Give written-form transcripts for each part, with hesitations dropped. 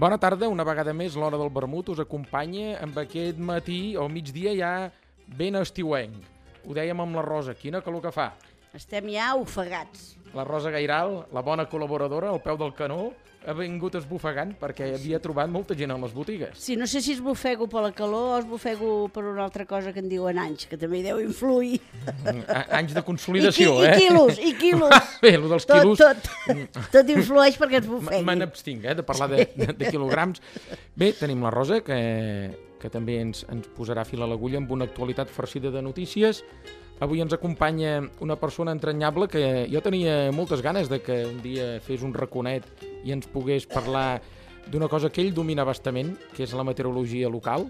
Bona tarda, una vegada més l'hora del vermut us acompanya amb aquest matí o migdia ja ben estiuenc. Ho dèiem amb la Rosa, quina calor que fa. Estem ja ofegats. La Rosa Gairal, la bona col·laboradora, al peu del canó, ha vingut esbufegant perquè havia trobat molta gent a les botigues. Sí, no sé si esbufego per la calor o esbufego per una altra cosa que en diuen anys, que també hi deu influir. Anys de consolidació, I quilos, i quilos. Bé, el dels quilos... Tot influeix perquè es bufegui. Me n'abstinc, de parlar de quilograms. Bé, tenim la Rosa, que també ens posarà fil a l'agulla amb una actualitat farcida de notícies. Avui ens acompanya una persona entranyable que jo tenia moltes ganes de que un dia fes un raconet i ens pogués parlar d'una cosa que ell domina bastament, que és la meteorologia local,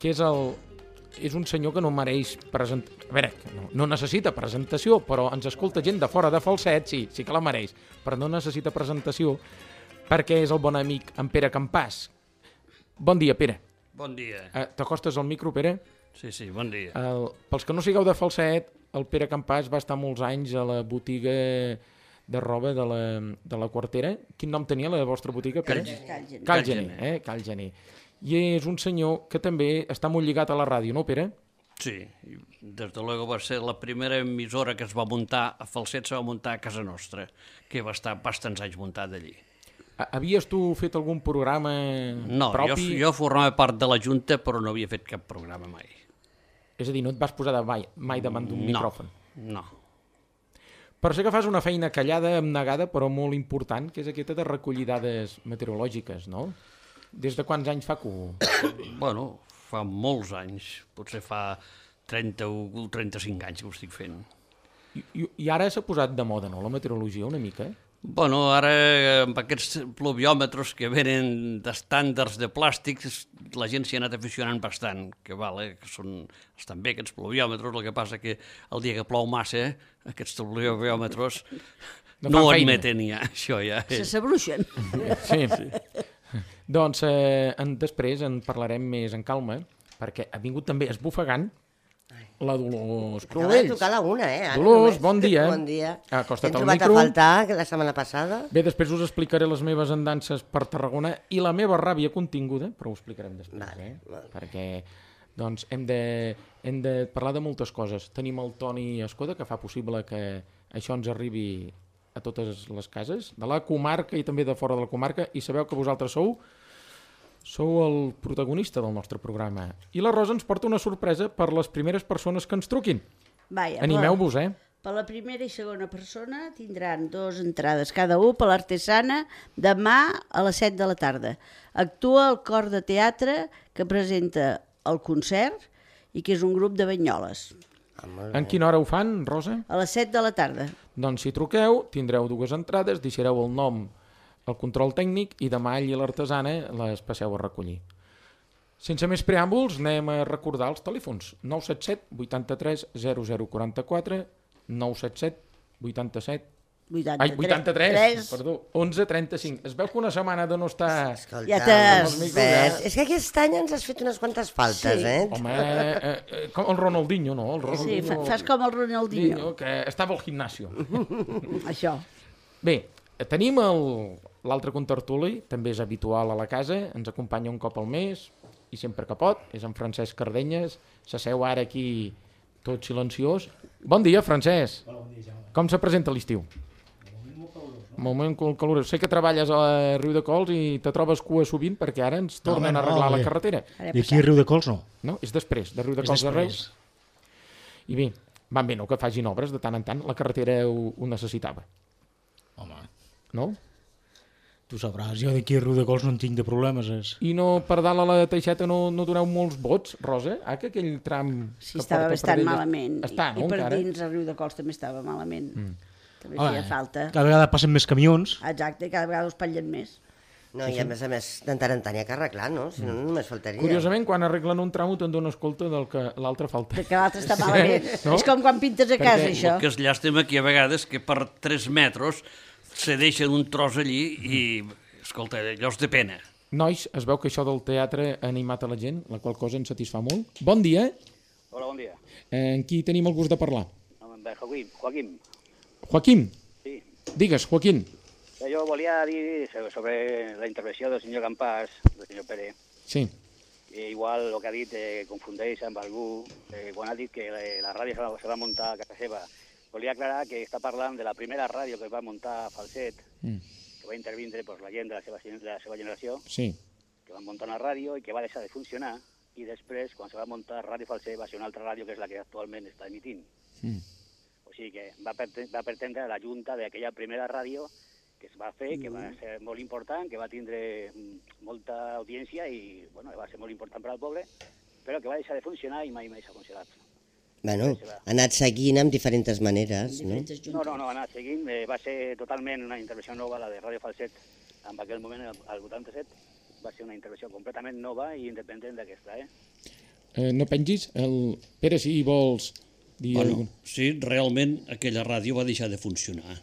que és un senyor que no mereix presentació. A veure, no necessita presentació, però ens escolta gent de fora de Falset, sí que la mereix, però no necessita presentació perquè és el bon amic en Pere Campàs. Bon dia, Pere. Bon dia. T'acostes al micro, Pere? Sí, bon dia. Pels que no sigueu de Falset, el Pere Campàs va estar molts anys a la botiga de roba de la Quartera. Quin nom tenia la vostra botiga, Pere? Cal Gener. I és un senyor que també està molt lligat a la ràdio, no, Pere? Sí, des de luego va ser la primera emissora que es va muntar a Falset, se va muntar a casa nostra, que va estar bastants anys muntat allí. Havies tu fet algun programa propi? No, jo formava part de la Junta, però no havia fet cap programa mai. És a dir, no et vas posar mai davant d'un micròfon? No. Per ser que fas una feina callada, abnegada, però molt important, que és aquesta de recollir dades meteorològiques, no? Des de quants anys fa que ho... Bueno, fa molts anys, potser fa 30 o 35 anys que ho estic fent. I ara s'ha posat de moda, no?, la meteorologia, una mica? Bueno, ara amb aquests pluviòmetres que venen d'estàndards de plàstics, la gent s'hi ha anat aficionant bastant, que estan bé aquests pluviòmetres, el que passa que el dia que plou massa, aquests pluviòmetres no admeten ja, això ja. Se s'abruixen. Sí. Doncs després en parlarem més en calma, perquè ha vingut també esbufegant la Dolors Cruells. Acaba de tocar la una, Dolors, bon dia. Bon dia. Acosta't al micro. T'hem trobat a faltar la setmana passada. Bé, després us explicaré les meves andances per Tarragona i la meva ràbia continguda, però ho explicarem després, Vale. Perquè doncs, hem de parlar de moltes coses. Tenim el Toni Escoda, que fa possible que això ens arribi a totes les cases, de la comarca i també de fora de la comarca, i sabeu que vosaltres sou el protagonista del nostre programa. I la Rosa ens porta una sorpresa per les primeres persones que ens truquin. Animeu-vos, Per la primera i segona persona tindran 2 entrades cada un per l'Artesana demà a les 7 de la tarda. Actua el cor de teatre que presenta el concert i que és un grup de Banyoles. En quina hora ho fan, Rosa? A les 7 de la tarda. Doncs si truqueu, tindreu 2 entrades, deixareu el nom, el control tècnic, i demà allí a l'Artesana les passeu a recollir. Sense més preàmbuls, anem a recordar els telèfons. 977 83 0044, 977 87... 83, perdó, 11 35. Es veu que una setmana de no estar... Escolta, és que aquest any ens has fet unes quantes faltes, Home, com el Ronaldinho, no? Sí, fas com el Ronaldinho. Que estava al gimnasio. Això. Bé, tenim l'altre contertuli, també és habitual a la casa, ens acompanya un cop al mes, i sempre que pot, és en Francesc Cardenyes, s'asseu ara aquí tot silenciós. Bon dia, Francesc. Hola, bon dia, Jaume. Com se presenta l'estiu? Moment calorós. Sé que treballes a Riu de Cols i te trobes cua sovint perquè ara ens tornen a arreglar la carretera. I aquí a Riu de Cols no. No, és després, de Riu de Cols de Reus. I bé, van bé, no, que facin obres de tant en tant. La carretera ho necessitava. Home. No? Tu sabràs, jo d'aquí a Riu de Cols no en tinc de problemes. I no, per dalt a la Teixeta no doneu molts vots, Rosa? Que aquell tram... Sí, estava bastant malament. Està, no, I per encara? dins a Riu de Cols també estava malament. També feia falta. Cada vegada passen més camions. Exacte, cada vegada us patllen més. No, i a més, de tant en tant hi ha que arreglar, no? Si no, només faltaria. Curiosament, quan arreglen un tram te'n dones compte del que l'altre falta. Que l'altre està malament. No? És com quan pintes a casa, això. El que és llàstima que a vegades que per 3 metres se deixen un tros allí i, escolta, allò és de pena. Nois, es veu que això del teatre ha animat a la gent, la qual cosa ens satisfà molt. Bon dia. Hola, bon dia. En qui tenim el gust de parlar? Joaquim. Joaquim? Sí. Digues, Joaquim. Jo volia dir sobre la intervenció del senyor Campàs, del senyor Pere. Sí. Igual el que ha dit confundeix amb algú quan ha dit que la ràdio se va muntar a casa seva. Volia aclarar que està parlant de la primera ràdio que va muntar a Falset, que va intervindre la gent de la seva generació, que va muntar una ràdio i que va deixar de funcionar, i després, quan se va muntar Ràdio Falset, va ser una altra ràdio que és la que actualment està emitint. O sigui que va pretendre la junta d'aquella primera ràdio que es va fer, que va ser molt important, que va tindre molta audiència i va ser molt important per al poble, però que va deixar de funcionar i mai més ha funcionat. Bueno, ha anat seguint amb diferents maneres, no? No, ha anat seguint. Va ser totalment una intervenció nova, la de Ràdio Falset, en aquell moment, al 87, va ser una intervenció completament nova i independent d'aquesta, No pengis? Pere, si vols dir alguna cosa. Sí, realment aquella ràdio va deixar de funcionar,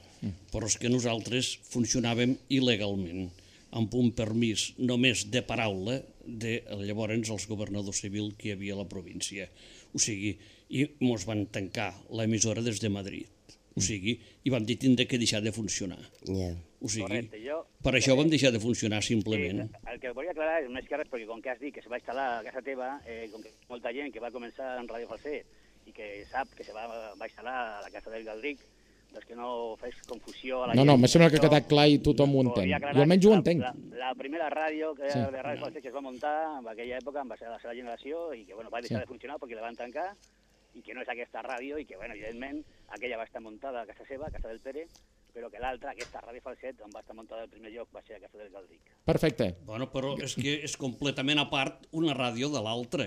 però és que nosaltres funcionàvem il·legalment, amb un permís només de paraula de llavors els governadors civils que hi havia a la província. O sigui, i ens van tancar l'emissora des de Madrid. O sigui, i vam dir tindre que deixar de funcionar. O sigui, per això vam deixar de funcionar simplement. El que volia aclarar és més que res, perquè com que has dit que se va instal·lar a casa teva, com que molta gent que va començar en Ràdio Falset i que sap que se va instal·lar a la casa del Galdric, doncs que no fes confusió a la gent. No, me sembla que ha quedat clar i tothom ho entén. Jo almenys ho entenc. La primera ràdio de Ràdio Falset que es va muntar en aquella època va ser la seva generació i que va deixar de funcionar perquè la van tancar i que no és aquesta ràdio i que, evidentment, aquella va estar muntada a casa seva, a casa del Pere, però que l'altra, aquesta Ràdio Falset, on va estar muntada al primer lloc, va ser a casa del Galdric. Perfecte. Bueno, però és que és completament a part una ràdio de l'altra,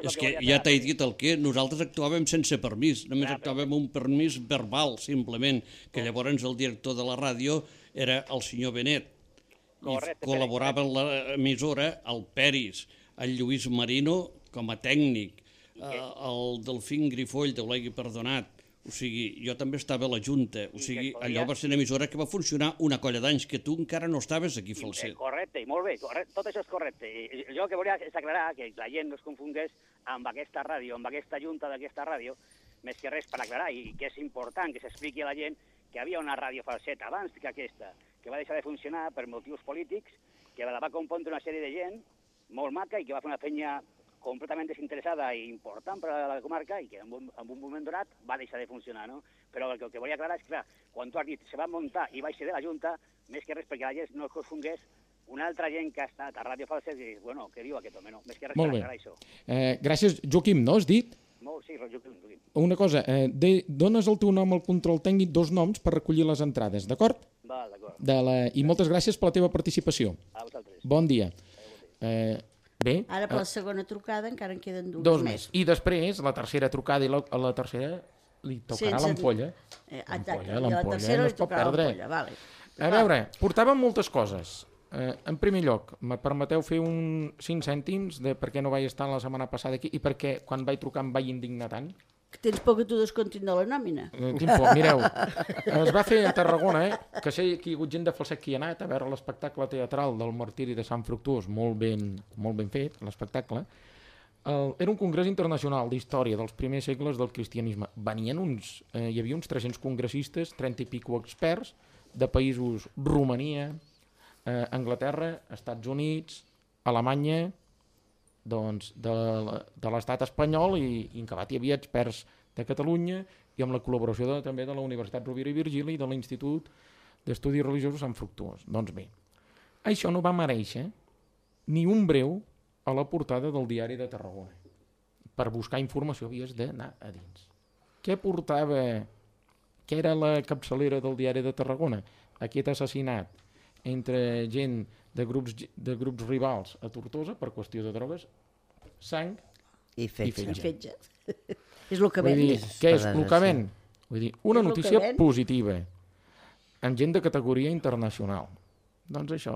És que ja t'he dit el que nosaltres actuàvem sense permís, només actuàvem un permís verbal, simplement, que llavors el director de la ràdio era el senyor Benet, i col·laborava en l'emissora el Peris, el Lluís Marino com a tècnic, el Delfín Grifoll, Déu l'hagi perdonat. O sigui, jo també estava a la Junta. O sigui, allò va ser una emissora que va funcionar una colla d'anys, que tu encara no estaves aquí, Falset. Correcte, molt bé, tot això és correcte. Jo el que volia és aclarar que la gent no es confongués amb aquesta ràdio, amb aquesta Junta d'aquesta ràdio, més que res per aclarar, i que és important que s'expliqui a la gent que hi havia una ràdio Falset abans que aquesta, que va deixar de funcionar per motius polítics, que la va compondre una sèrie de gent molt maca i que va fer una feina completament desinteressada i important per a la comarca i que en un moment donat va deixar de funcionar, no? Però el que volia aclarar és que, clar, quan tu has dit se va muntar i va ser de la Junta, més que res perquè la gent no es confongués, una altra gent que ha estat a Ràdio Falset i dius, bueno, què diu aquest home, no? Més que res per aclarar això. Gràcies, Joaquim, no has dit? Sí, Joaquim. Una cosa, dones el teu nom al control tècnic, 2 noms per recollir les entrades, d'acord? Va, d'acord. I moltes gràcies per la teva participació. A vosaltres. Bon dia. Bé. Ara per la segona trucada encara en queden 2 més. I després, la tercera trucada i la tercera li tocarà l'ampolla. L'ampolla no es pot perdre. A veure, portàvem moltes coses. En primer lloc, me permeteu fer un 5 cèntims de per què no vaig estar la setmana passada aquí i per què quan vaig trucar em vaig indignar tant? Tens por que t'ho descontin de la nòmina. Tinc por. Mireu, es va fer a Tarragona, que sé que hi ha hagut gent de Falset que hi ha anat a veure l'espectacle teatral del Martiri de Sant Fructuós, molt ben fet, l'espectacle. Era un congrés internacional d'història dels primers segles del cristianisme. Hi havia uns 300 congressistes, 30 i pico experts, de països Romania, Anglaterra, Estats Units, Alemanya, doncs, de l'estat espanyol i en acabat hi havia experts de Catalunya i amb la col·laboració també de la Universitat Rovira i Virgili i de l'Institut d'Estudis Religiosos Sant Fructuós. Doncs bé, això no va mereixer ni un breu a la portada del Diari de Tarragona. Per buscar informació havies d'anar a dins. Què portava, què era la capçalera del Diari de Tarragona? Aquest assassinat entre gent de grups rivals a Tortosa per qüestió de drogues, sang i fetge. És el que ven. Què és el que ven? Vull dir, una notícia positiva amb gent de categoria internacional. Doncs això.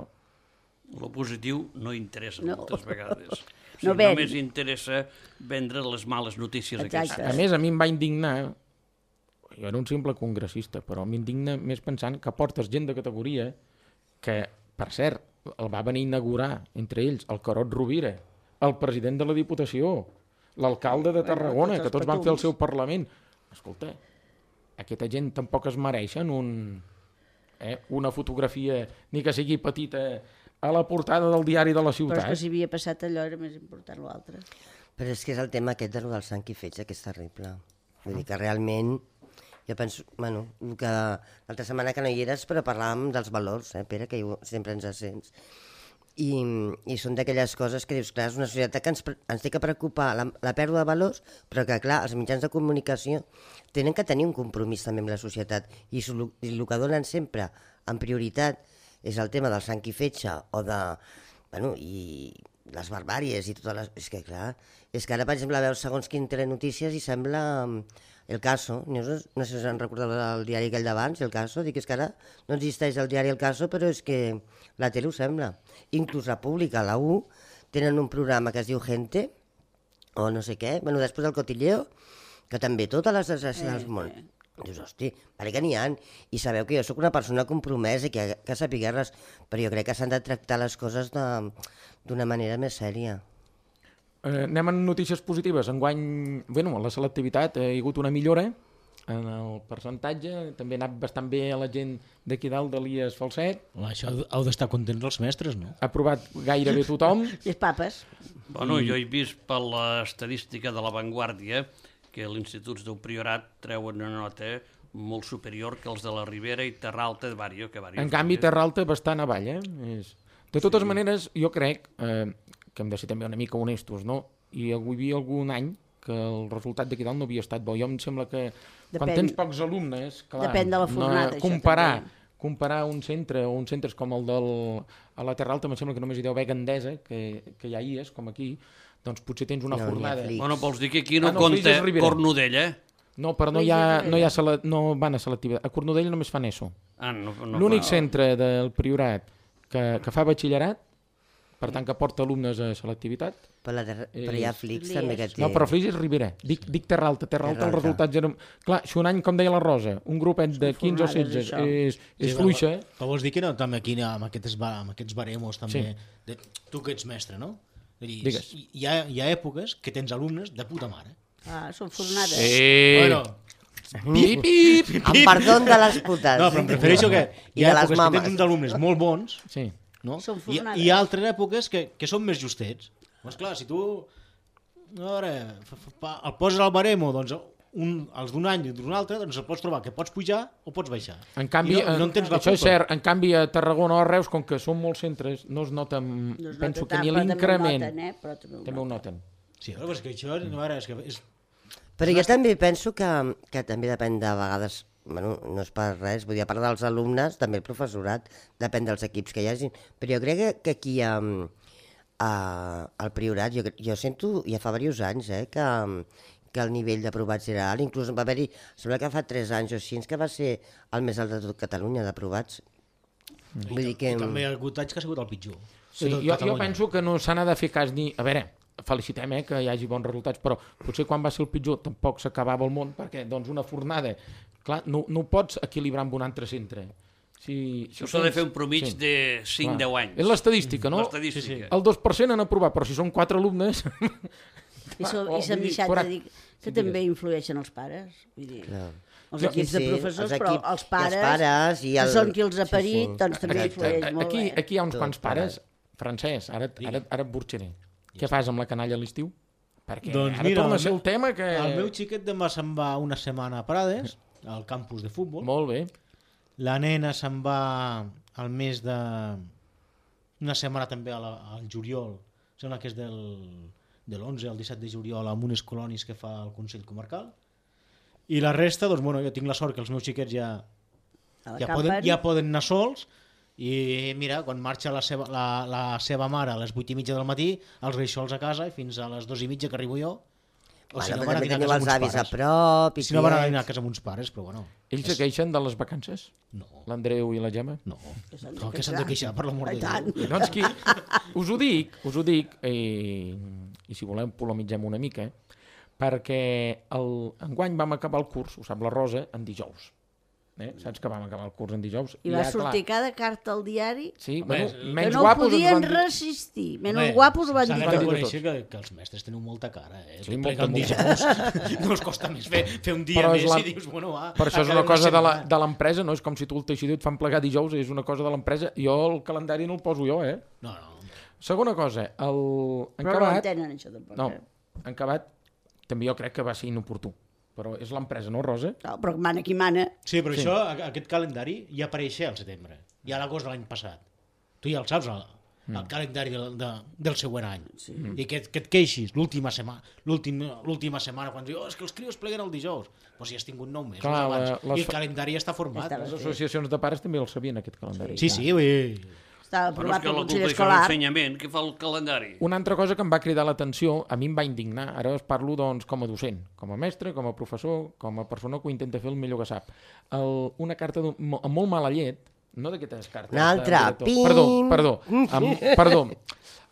El positiu no interessa moltes vegades. Només interessa vendre les males notícies aquestes. A més, a mi em va indignar, jo era un simple congressista, però m'indigna més pensant que portes gent de categoria que, per cert, el va venir a inaugurar, entre ells, el Carot Rovira, el president de la Diputació, l'alcalde de Tarragona, que tots van fer el seu Parlament. Escolta, aquesta gent tampoc es mereixen una fotografia, ni que sigui petita, a la portada del diari de la Però és ciutat. que si havia passat allò era més important l'altre. Però és que és el tema aquest de lo del sang i fetge, que és terrible. Vull dir que realment, jo penso, bueno, que l'altra setmana que no hi eres, però parlàvem dels valors, Pere, que sempre ens sents. I són d'aquelles coses que dius, clar, és una societat que ens té que preocupar la pèrdua de valors, però que, clar, els mitjans de comunicació tenen que tenir un compromís també amb la societat, i el que donen sempre en prioritat és el tema del sang i fetge, o de, bueno, i les barbàries i totes les... És que, clar, és que ara, per exemple, veus segons quin telenotícies i sembla El Caso, no sé si us en recordeu del diari aquell d'abans, El Caso, dic, és que ara no existeix el diari El Caso, però és que la tele ho sembla. Inclús la pública, la U, tenen un programa que es diu Gente, o no sé què, bueno, després del Cotilleo, que també totes les desgràcies del món. Dius, hosti, perquè que n'hi ha, i sabeu que jo sóc una persona compromesa i que sapigueu res, però jo crec que s'han de tractar les coses d'una manera més sèria. Anem a notícies positives. Enguany, bueno, la selectivitat ha hagut una millora en el percentatge, també ha anat bastant bé a la gent d'aquí dalt de l'IES Falset. Això heu d'estar contents els mestres, no? Ha aprovat gairebé tothom. Les papes. Bueno, jo he vist per l'estadística de La Vanguardia que els instituts del Priorat treuen una nota molt superior que els de la Ribera i Terra Alta de Bàrio. En canvi, Terra Alta bastant avall, De totes maneres, jo crec que hem de ser també una mica honestos, no? I hi havia algun any que el resultat d'aquí dalt no havia estat bo. Jo em sembla que quan tens pocs alumnes, clar, depèn de la fornada, comparar un centre o uns centres com el a la Terra Alta, em sembla que només hi deu haver Gandesa, que ja hi és, com aquí, doncs potser tens una fornada. Bueno, vols dir que aquí no compta Cornudell, No, però no van a selectivitat. A Cornudella només fan ESO. L'únic centre del Priorat que fa batxillerat, per tant que porta alumnes a selectivitat. Però hi ha Flix també que té... No, però Flix és Ribera. Dic Terra Alta. Terra Alta els resultats eren... Clar, si un any, com deia la Rosa, un grupet de 15 o 16 és fluixa... Però vols dir que no, també aquí amb aquests baremos també... Tu que ets mestre, no? Digues. Hi ha èpoques que tens alumnes de puta mare. Són fornades. Bueno, pip! Amb perdó de les putes. No, però em refereixo que hi ha èpoques que mames. tens uns alumnes molt bons, no? Són fornades. I hi ha altres èpoques que són més justets. Doncs clar, si tu a veure, el poses al baremo, doncs els d'un any i d'un altre, doncs el pots trobar que pots pujar o pots baixar. En canvi, no en tens la això culpa. és cert, en canvi a Tarragona o a Reus, com que són molts centres, no es nota, penso que ni l'increment. També ho noten. Sí, però és que això, a veure, és... Però jo també penso que també depèn de vegades, bueno, no és per res, vull dir, a part dels alumnes, també el professorat, depèn dels equips que hi hagi, però jo crec que aquí al Priorat, jo sento, ja fa diversos anys, que el nivell d'aprovats era alt, inclús va haver-hi, sembla que fa 3 anys o així, que va ser el més alt de tot Catalunya d'aprovats. Vull dir que... I també hi ha hagut anys que ha sigut el pitjor. Sí, jo penso que no s'ha de fer cas ni... A veure, felicitem que hi hagi bons resultats, però potser quan va ser el pitjor tampoc s'acabava el món, perquè doncs una fornada, clar, no pots equilibrar amb un altre centre. Això s'ha de fer un promig de 5-10 anys. És l'estadística, no? L'estadística. El 2% han aprovat, però si són 4 alumnes... I s'han deixat de dir que també influeixen els pares. Vull dir, els equips de professors, però els pares, que són qui els ha parit, doncs també influeix molt. Aquí hi ha uns quants pares. Francesc, ara et burxaré. Què fas amb la canalla a l'estiu? Perquè ara torna a ser el tema que... El meu xiquet demà se'n va una setmana a Prades, al campus de futbol. Molt bé. La nena se'n va al mes de... una setmana també al juliol. Sembla que és de l'11 al 17 de juliol amb unes colònies que fa el Consell Comarcal. I la resta, doncs, bueno, jo tinc la sort que els meus xiquets ja poden anar sols. I mira, quan marxa la seva mare a les 8:30 del matí, els veig sols a casa i fins a les 2:30 que arribo jo. O si no van a dinar a casa amb uns pares. A prop, si no van a dinar a casa amb uns pares, però bueno. Ells se queixen de les vacances? No. L'Andreu i la Gemma? No. Que s'han de queixar, per l'amor de Déu. Doncs qui... Us ho dic, i si voleu polemitzem una mica, perquè enguany vam acabar el curs, ho sap la Rosa, en dijous. Saps que vam acabar el curs en dijous. I va sortir cada carta al diari Sí, Home, bueno, que menys no ho guapos ens podien van dir. resistir. Menys guapos ho van S'ha dir de tot. reconèixer que els mestres teniu molta cara, Sí, plegar un molta. dijous. No us costa més fer un dia Però més és i dius, bueno, va... Per això és acabem una cosa setmana. de l'empresa, no és com si tu el teixidor et fan plegar dijous, és una cosa de l'empresa. Jo el calendari no el poso jo, No. Segona cosa, en Però no Cabat, entenen això tampoc. no, en Cabat també jo crec que va ser inoportú. Però és l'empresa, no, Rosa? No, però mana qui mana. Sí, però això, aquest calendari ja apareixia al setembre, ja a l'agost de l'any passat. Tu ja el saps, el calendari del següent any. Sí. I que et queixis l'última setmana, quan dius, és que els crios pleguen el dijous. Doncs ja has tingut 9 mesos Clar, abans. I el calendari ja està format. Estava Les associacions de pares també el sabien, aquest calendari. Sí, vull... Estava Però és aprovat que pel la Consell culpa és Escolar. l'ensenyament, que fa el calendari. Una altra cosa que em va cridar l'atenció, a mi em va indignar, ara us parlo doncs, com a docent, com a mestre, com a professor, com a persona que ho intenta fer el millor que sap. Una carta amb molt mala llet, no d'aquestes cartes... Una altra, pim! Perdó,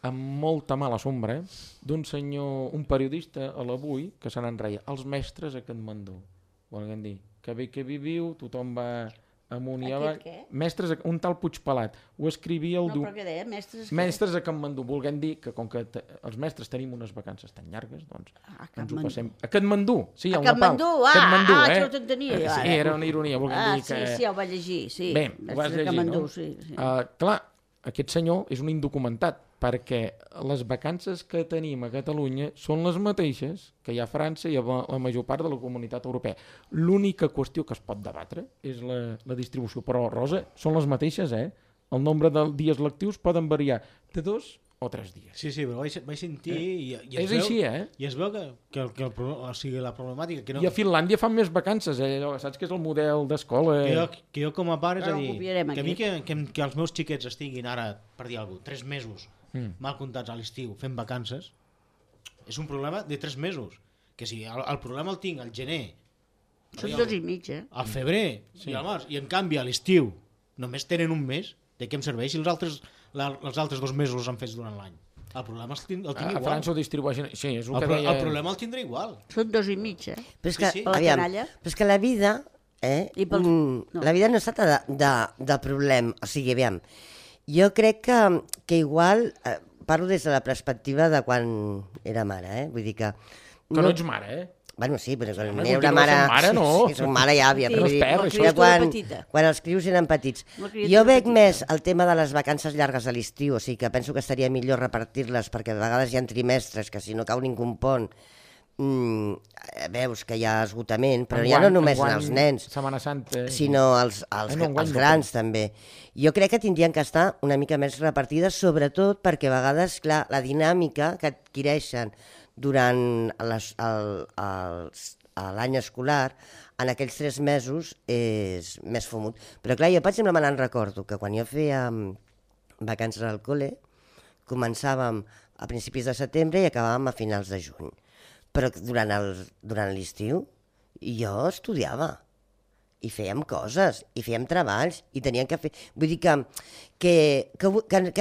amb molta mala sombra, d'un senyor, un periodista a l'Avui, que se n'en reia, els mestres a Katmandú. Volguem dir, que bé que viviu, tothom va... amunt i avall. Mestres, un tal Puigpelat ho escrivia el... No, però què deia? Mestres a Katmandú, volguem dir que com que els mestres tenim unes vacances tan llargues, doncs ens ho passem... A Katmandú, sí, al Nepal. Katmandú, això ho t'entenia. Sí, era una ironia, volguem dir que... Sí, ja ho vaig llegir, sí. Bé, ho vas llegir, no? Sí. Clar, aquest senyor és un indocumentat, perquè les vacances que tenim a Catalunya són les mateixes que hi ha a França i a la major part de la comunitat europea. L'única qüestió que es pot debatre és la distribució. Però, Rosa, són les mateixes, El nombre de dies lectius poden variar de 2 o 3 dies. Sí, però vaig sentir... I és així, I es veu que la problemàtica... Que no, I a Finlàndia fan més vacances, saps que és el model d'escola? Que jo com a pare, és a dir, que a mi que els meus xiquets estiguin ara, per dir alguna cosa, 3 mesos mal comptats a l'estiu fent vacances, és un problema de 3 mesos. Que si el problema el tinc al gener, són 2 i mig, al febrer i al març, i en canvi a l'estiu només tenen un mes, de què em serveix si els altres 2 mesos els han fet durant l'any? El problema el tinc igual. A França ho distribueixen... Sí, és el problema el tindré igual. Són 2 i mig, Però és que, per la canalla. Però és que la vida... La vida no es tracta de problema. O sigui, aviam, jo crec que igual... Parlo des de la perspectiva de quan era mare, Vull dir que... Que no ets mare, Bueno, sí, però quan era una mare... mare, no? Sí, som mare ja, Sí, no es perd, això. Quan els crios eren petits. Jo veig més el tema de les vacances llargues a l'estiu, o sigui que penso que estaria millor repartir-les, perquè a vegades hi ha trimestres que si no cau ningú pont veus que hi ha esgotament, però ja no només en els nens, Setmana Santa, sinó els grans també. Jo crec que tindrien que estar una mica més repartides, sobretot perquè a vegades, clar, la dinàmica que adquireixen durant l'any escolar, en aquells 3 mesos és més fumut. Però clar, jo per exemple me n'en recordo que quan jo feia vacances al col·le, començàvem a principis de setembre i acabàvem a finals de juny. Però durant l'estiu jo estudiava i fèiem coses, i fèiem treballs, i teníem que fer... Vull dir que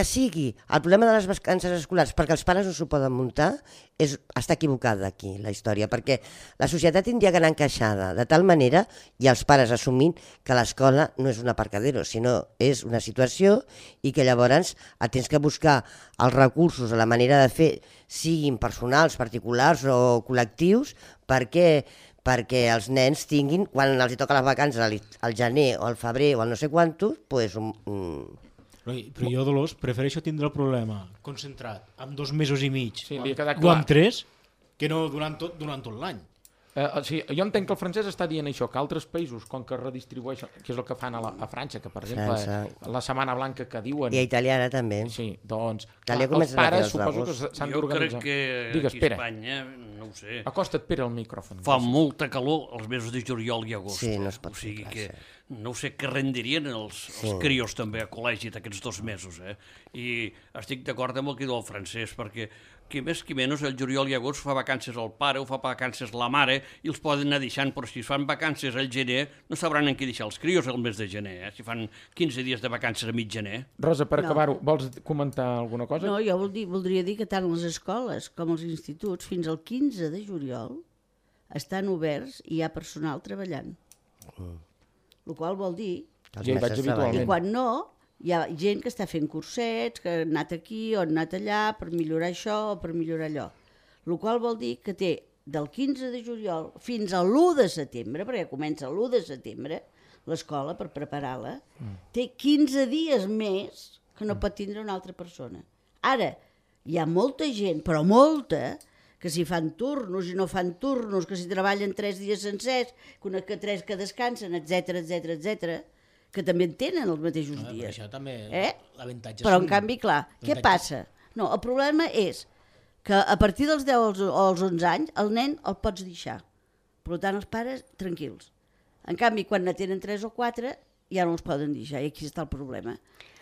sigui el problema de les vacances escolars perquè els pares no s'ho poden muntar, està equivocada aquí la història, perquè la societat tindria que anar encaixada de tal manera, i els pares assumint que l'escola no és un aparcadero, sinó és una situació i que llavors et tens que buscar els recursos, la manera de fer, siguin personals, particulars o col·lectius, perquè els nens tinguin, quan els toca les vacances al gener o al febrer o al no sé quantos, doncs... Però jo, Dolors, prefereixo tindre el problema concentrat en 2 mesos i mig o en 3 que no durant tot l'any. Sí, jo entenc que el francès està dient això, que altres països, com que redistribueixen, que és el que fan a França, que per exemple la Setmana Blanca que diuen... I a Itàlia ara també. Sí, doncs els pares suposo que s'han d'organitzar. Jo crec que aquí a Espanya, no ho sé... Acosta't, Pere, al micròfon. Fa molta calor els mesos de juliol i agost. Sí, no es pot o sigui que no sé què rendirien els crios també a col·legi d'aquests 2 mesos. I estic d'acord amb el que diu el francès, perquè qui més qui menys el juliol i agost fa vacances al pare o fa vacances la mare i els poden anar deixant, però si fan vacances al gener no sabran en què deixar els crios el mes de gener, si fan 15 dies de vacances a mig gener. Rosa, per acabar-ho, vols comentar alguna cosa? No, jo voldria dir que tant les escoles com els instituts fins al 15 de juliol estan oberts i hi ha personal treballant. el qual vol dir Els Jo hi vaig mestres que habitualment. quan no, hi ha gent que està fent cursets, que ha anat aquí o ha anat allà per millorar això o per millorar allò. El qual vol dir que té del 15 de juliol fins a l'1 de setembre, perquè comença l'1 de setembre, l'escola, per preparar-la, té 15 dies més que no pot tindre una altra persona. Ara, hi ha molta gent, però molta, que si fan turnos i no fan turnos, que si treballen 3 dies sencers, que 3 que descansen, etc, que també en tenen els mateixos Per dies. això també l'avantatge Però, en són- canvi, clar, què passa? No, el problema és que a partir dels 10 o els 11 anys el nen el pots deixar. Per tant, els pares, tranquils. En canvi, quan ne tenen 3 o 4, ja no els poden deixar, i aquí està el problema.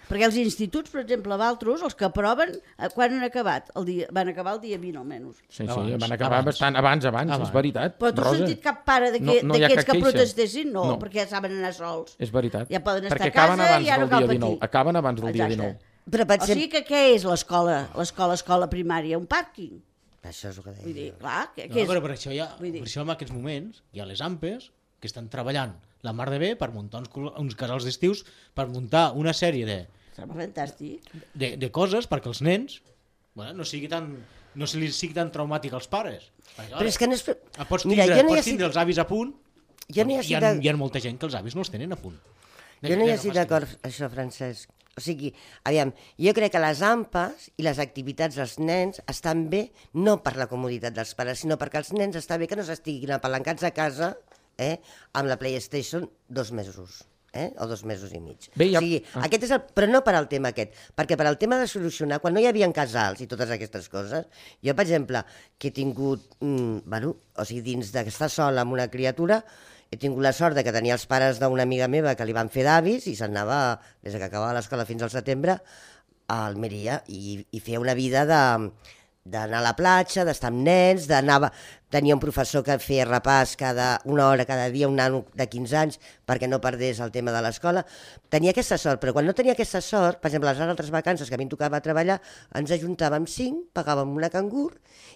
Perquè els instituts, per exemple, a Valtros, els que aproven, quan han acabat? Van acabar el dia 20 almenys. Sí, Abans, van acabar abans. bastant abans, és veritat. Però tu has Rosa, sentit cap pare no hi ha d'aquests cap que queixa. protestessin? No, No. perquè ja saben anar sols. és veritat. Ja poden estar Perquè a casa acaben abans i ja no del cal dia patir. 19. Acaben abans del dia Exacte. 19. Però O sigui que què és l'escola primària? Un pàrquing? Això és el que deia. Vull dir, clar, què No, és? però per això, Vull dir- per això en aquests moments hi ha les AMPEs que estan treballant la mar de bé per muntar uns casals d'estius, per muntar una sèrie Sembla fantàstic. de coses perquè els nens no se li sigui tan traumàtic als pares. Perquè, Però és que no és... pots Mira, tindre, jo no hi pots estic, tindre els avis a punt, jo no hi hi estic, ha molta gent que els avis no els tenen a punt. jo no hi estic d'acord, això, Francesc. O sigui, aviam, jo crec que les AMPAs i les activitats dels nens estan bé no per la comoditat dels pares, sinó perquè els nens està bé que no s'estiguin apalancats a casa amb la PlayStation 2 mesos. O 2 mesos i mig. Bé, ja- O sigui, aquest és però no per al tema aquest, perquè per al tema de solucionar, quan no hi havia casals i totes aquestes coses, jo, per exemple, que he tingut, o sigui, dins d'estar sola amb una criatura, he tingut la sort de que tenia els pares d'una amiga meva que li van fer d'avis i s'anava, des que acabava l'escola fins al setembre, a Almeria i feia una vida d'anar a la platja, d'estar amb nens, tenia un professor que feia repàs una hora cada dia, un nano de 15 anys, perquè no perdés el tema de l'escola. Tenia aquesta sort, però quan no tenia aquesta sort, per exemple, les altres vacances que a mi em tocava treballar, ens ajuntàvem 5, pagàvem una cangur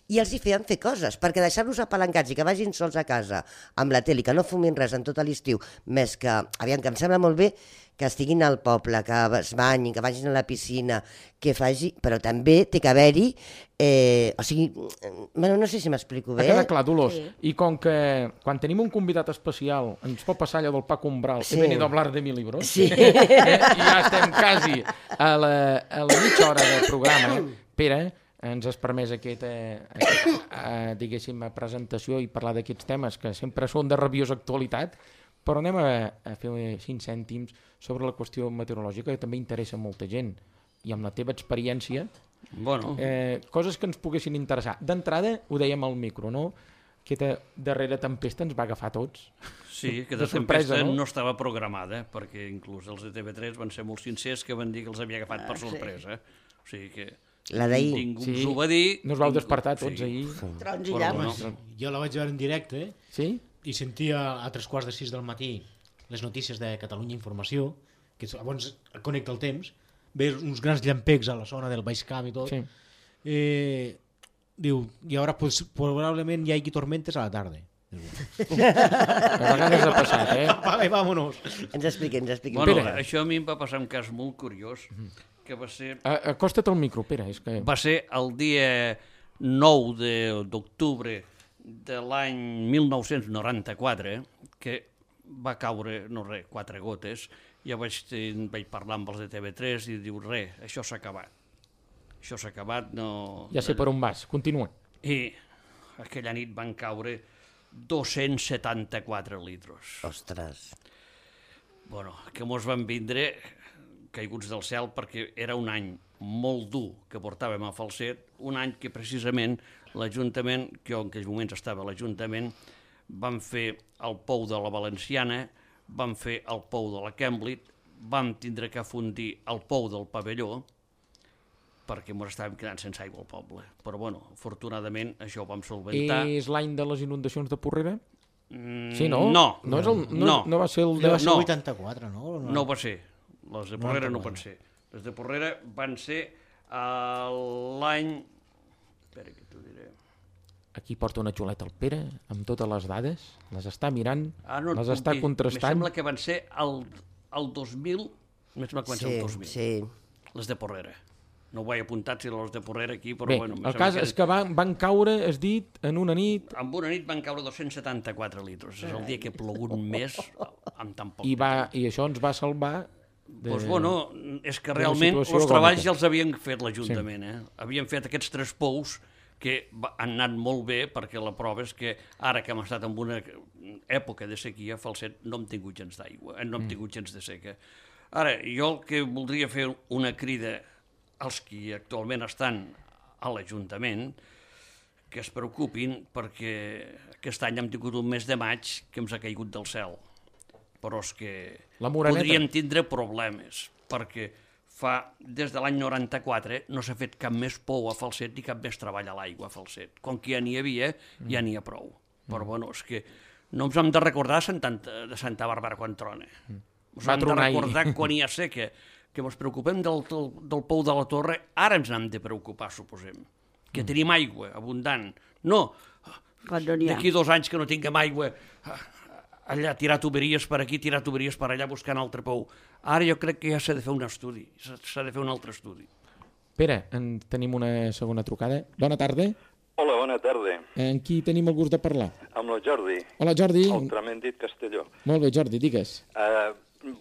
i els hi feien fer coses, perquè deixar-los apalancats i que vagin sols a casa amb la tele i que no fumin res en tot l'estiu, més que, aviam, que em sembla molt bé que estiguin al poble, que es banyin, que vagin a la piscina, que faci... Però també té que haver-hi... o sigui, no sé si m'explico bé. Ha quedat clar, Dolors. Sí. I com que quan tenim un convidat especial ens pot passar allò del Paco Umbral, Sí. he venido a hablar de 1000 libros, Sí. I ja estem quasi a la mitja hora del programa. Pere, ens has permès aquesta diguéssim, presentació i parlar d'aquests temes que sempre són de rabiosa actualitat, però anem a fer 5 cèntims sobre la qüestió meteorològica, que també interessa molta gent. I amb la teva experiència, Bueno, coses que ens poguessin interessar. D'entrada, ho dèiem al micro, no? Aquesta darrera tempesta ens va agafar a tots. sí, que de de sorpresa, tempesta no? no estava programada, perquè inclús els de TV3 van ser molt sincers que van dir que els havia agafat per sorpresa. O sigui que La d'ahir. ningú Sí. ens ho va dir. No us vau despertar tots Sí. ahir. Trons i Però llames. bueno. Jo la vaig veure en directe Sí? i sentia a 3:45 del matí les notícies de Catalunya Informació, que llavors connecta el temps, ve uns grans llampecs a la zona del Baix Camp i tot. Sí. Diu, i ara pues, probablement hi hagi tormentes a la tarda. A vegades ha passat, Vale, vámonos. Ens expliqui. Bueno, Pere. això a mi em va passar un cas molt curiós, que va ser Acosta't al micro, Pere. És que... el dia 9 d'octubre de l'any 1994, que va caure, 4 gotes. Ja vaig parlar amb els de TV3 i diu, això s'ha acabat. Això s'ha acabat, no... Ja sé per on vas. Continua. I aquella nit van caure 274 litros. Ostres. Bueno, que mos van vindre caiguts del cel perquè era un any molt dur que portàvem a Falset, un any que precisament l'Ajuntament, que jo en aquells moments estava a l'Ajuntament, van fer el pou de la Valenciana, van fer el pou de la Camblit, vam tindre que afundir el pou del Pavelló, perquè ens estàvem quedant sense aigua al poble. Però, bueno, afortunadament això ho vam solventar. És l'any de les inundacions de Porrera? Mm, Sí, no? No. No va ser el de... Va ser No. 84, no? No va ser. Les de Porrera no 94. van ser. Les de Porrera van ser l'any... Espera que t'ho diré. aquí porta una xuleta el Pere, amb totes les dades, les està mirant, no et les puc està dir. contrastant. Me sembla que van ser el 2000, més sembla que van ser el 2000, Sí. les de Porrera. No ho he apuntat si les de Porrera aquí, però Bé, bueno... el cas és que van caure, has dit, en una nit, En una nit van caure 274 litres. És el dia que ha plogut més amb tan poc i això ens va salvar Doncs bueno, és que d'una realment situació els treballs agònica. ja els havien fet l'Ajuntament. Havien fet aquests 3 pous que han anat molt bé, perquè la prova és que ara que hem estat en una època de sequia, Falset no hem tingut gens d'aigua, no hem tingut gens de seca. Ara, jo el que voldria fer una crida als qui actualment estan a l'Ajuntament, que es preocupin, perquè aquest any hem tingut un mes de maig que ens ha caigut del cel. Però és que La Moreneta. podríem tindre problemes, perquè des de l'any 94 no s'ha fet cap més pou a Falset ni cap més treball a l'aigua a Falset. Com que ja n'hi havia, ja n'hi ha prou. Però bueno, és que no ens hem de recordar de Santa Bàrbara quan trona. Ens Va hem de tronar ahir. recordar quan hi ha seca, que ens preocupem del pou de la Torre, ara ens n'hem de preocupar, suposem. Que tenim aigua abundant. No, Quan no n'hi ha. d'aquí 2 anys que no tinguem aigua, allà tirar tuberies per aquí, tirar tuberies per allà, buscant altre pou. Ara jo crec que ja s'ha de fer un estudi, s'ha de fer un altre estudi. Pere, tenim una segona trucada. Bona tarda. Hola, bona tarda. Amb qui tenim el gust de parlar? Amb el Jordi, Hola, Jordi. el tremendit Castelló. Molt bé, Jordi, digues.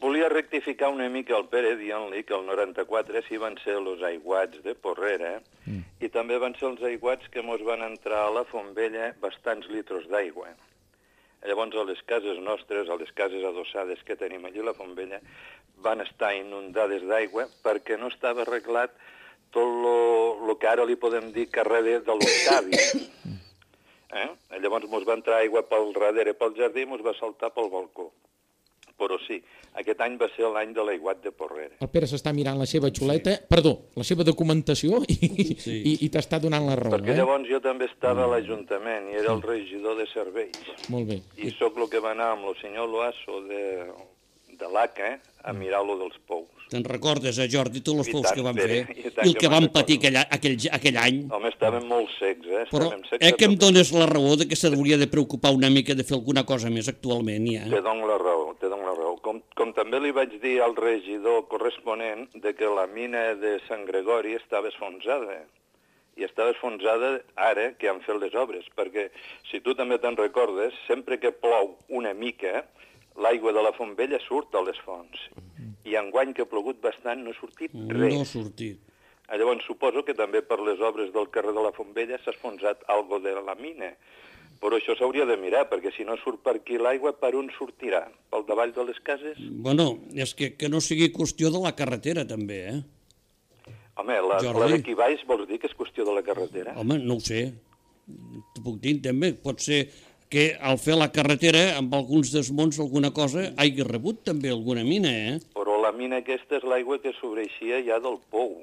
Volia rectificar una mica el Pere dient-li que el 94 sí van ser els aiguats de Porrera i també van ser els aiguats que mos van entrar a la Fontvella bastants litres d'aigua. Llavors, a les cases nostres, a les cases adossades que tenim allí a la Fontvella, van estar inundades d'aigua perquè no estava arreglat tot el que ara li podem dir carrer de l'Octavi. Llavors mos va entrar aigua pel darrere, pel jardí, i mos va saltar pel balcó. Però sí, aquest any va ser l'any de l'aiguat de Porrera. El Pere s'està mirant la seva xuleta, perdó, la seva documentació i t'està donant la raó. Perquè llavors jo també estava a l'Ajuntament i era el regidor de serveis. Molt bé. I sóc el que va anar amb el senyor Loasso de l'ACA a mirar-lo dels pous. Te'n recordes, Jordi, tots els I pous tant, que vam Pere, fer i tant i el que que vam me'n patir recordo. aquell any? Home, estaven molt secs, Però Estaven secs que em de tot. dones la raó de que s'hauria de preocupar una mica de fer alguna cosa més actualment, ja. Te dono la raó, te dono la raó. Com també li vaig dir al regidor corresponent de que la mina de Sant Gregori estava esfonsada. I estava esfonsada ara que han fet les obres, perquè si tu també te'n recordes, sempre que plou una mica, l'aigua de la Fontvella surt a les fonts. I enguany que ha plogut bastant no ha sortit res. No ha sortit. Llavors suposo que també per les obres del carrer de la Fontvella s'ha esfonsat algo de la mina. Però això s'hauria de mirar, perquè si no surt per aquí l'aigua, per on sortirà? Pel davall de les cases? Bueno, és que no sigui qüestió de la carretera, també, Home, la d'aquí baix vols dir que és qüestió de la carretera? Home, no ho sé. T'ho puc dir, també. Pot ser que al fer la carretera, amb alguns desmunts, alguna cosa, hagi rebut també alguna mina, Però la mina aquesta és l'aigua que sobreixia ja del pou,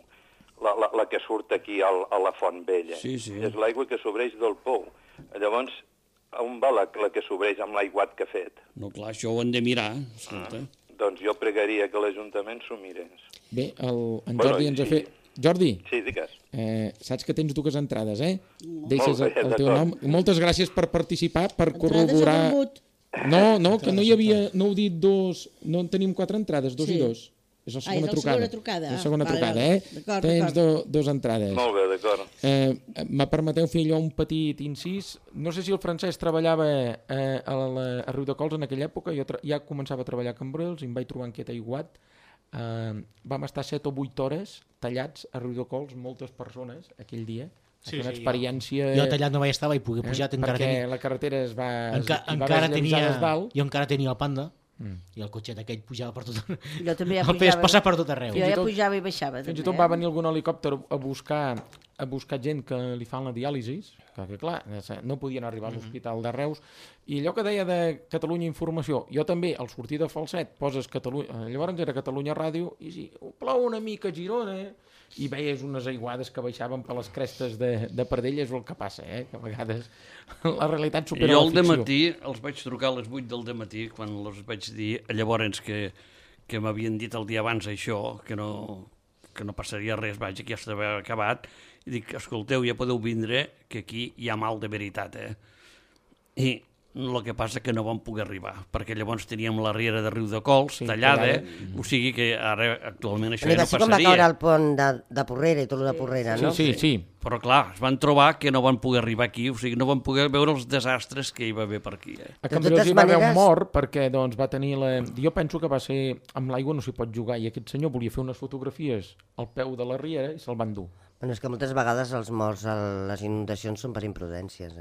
la que surt aquí a la Font Vella. Sí, sí. És l'aigua que sobreix del pou. Llavors, on va la que sobreix amb l'aiguat que ha fet? No, clar, això ho hem de mirar, escolta. Doncs jo pregaria que l'Ajuntament s'ho mirés. Bé, en Jordi ens ha fet... Jordi, Sí, digues. saps que tens 2 entrades, Deixes Molt bé, el teu d'acord. nom. Moltes gràcies per participar, per Entrades corroborar... a vermut. No, que no hi havia... No heu dit 2... No en tenim 4 entrades, 2 Sí. i 2. És la segona és la trucada. segona trucada. És la segona Vale, trucada, vale. D'acord, Tens d'acord. 2 entrades. Molt bé, d'acord. Me permeteu fer allò un petit incís. No sé si el Francesc treballava a Riudecols en aquella època. Jo ja començava a treballar a Cambrils i em vaig trobar inquiet aiguat. Vam estar 7 o 8 hores tallats a Riudecols, moltes persones, aquell dia. Sí, una sí, experiència... Jo tallat no vaig estar, vaig poder pujar, encara perquè tenia... la carretera es va... encara tenia... des dalt. Jo encara tenia el Panda, i el cotxet aquell pujava per tot... Jo també ja el feies pujava. passar per tot arreu. Jo ja i tot- pujava i baixava. Fins i també, tot va venir algun helicòpter a buscar gent que li fan la diàlisi, que clar, no podien arribar a l'Hospital de Reus, i allò que deia de Catalunya Informació, jo també, al sortir de Falset, poses Catalunya, llavors era Catalunya Ràdio, i si plou una mica a Girona, i veies unes aiguades que baixaven per les crestes de Pardell, és el que passa, que a vegades la realitat supera Jo la al ficció. dematí els vaig trucar a les 8 del dematí, quan els vaig dir, llavors que m'havien dit el dia abans això, que no passaria res, vaja, que ja estava acabat, i dic, escolteu, ja podeu vindre, que aquí hi ha mal de veritat, I el que passa que no vam poder arribar, perquè llavors teníem la riera de Riu de Cols tallada, o sigui que ara actualment això ja no va ser com va passaria. caure el pont de Porrera i tot el de Porrera, no? Sí. Però clar, es van trobar que no van poder arribar aquí, o sigui, no van poder veure els desastres que hi va haver per aquí. A Cambrils hi va haver un mort perquè doncs, va tenir la... Jo penso que va ser... Amb l'aigua no s'hi pot jugar i aquest senyor volia fer unes fotografies al peu de la riera i se'l van dur. Bueno, és que moltes vegades els morts a les inundacions són per imprudències,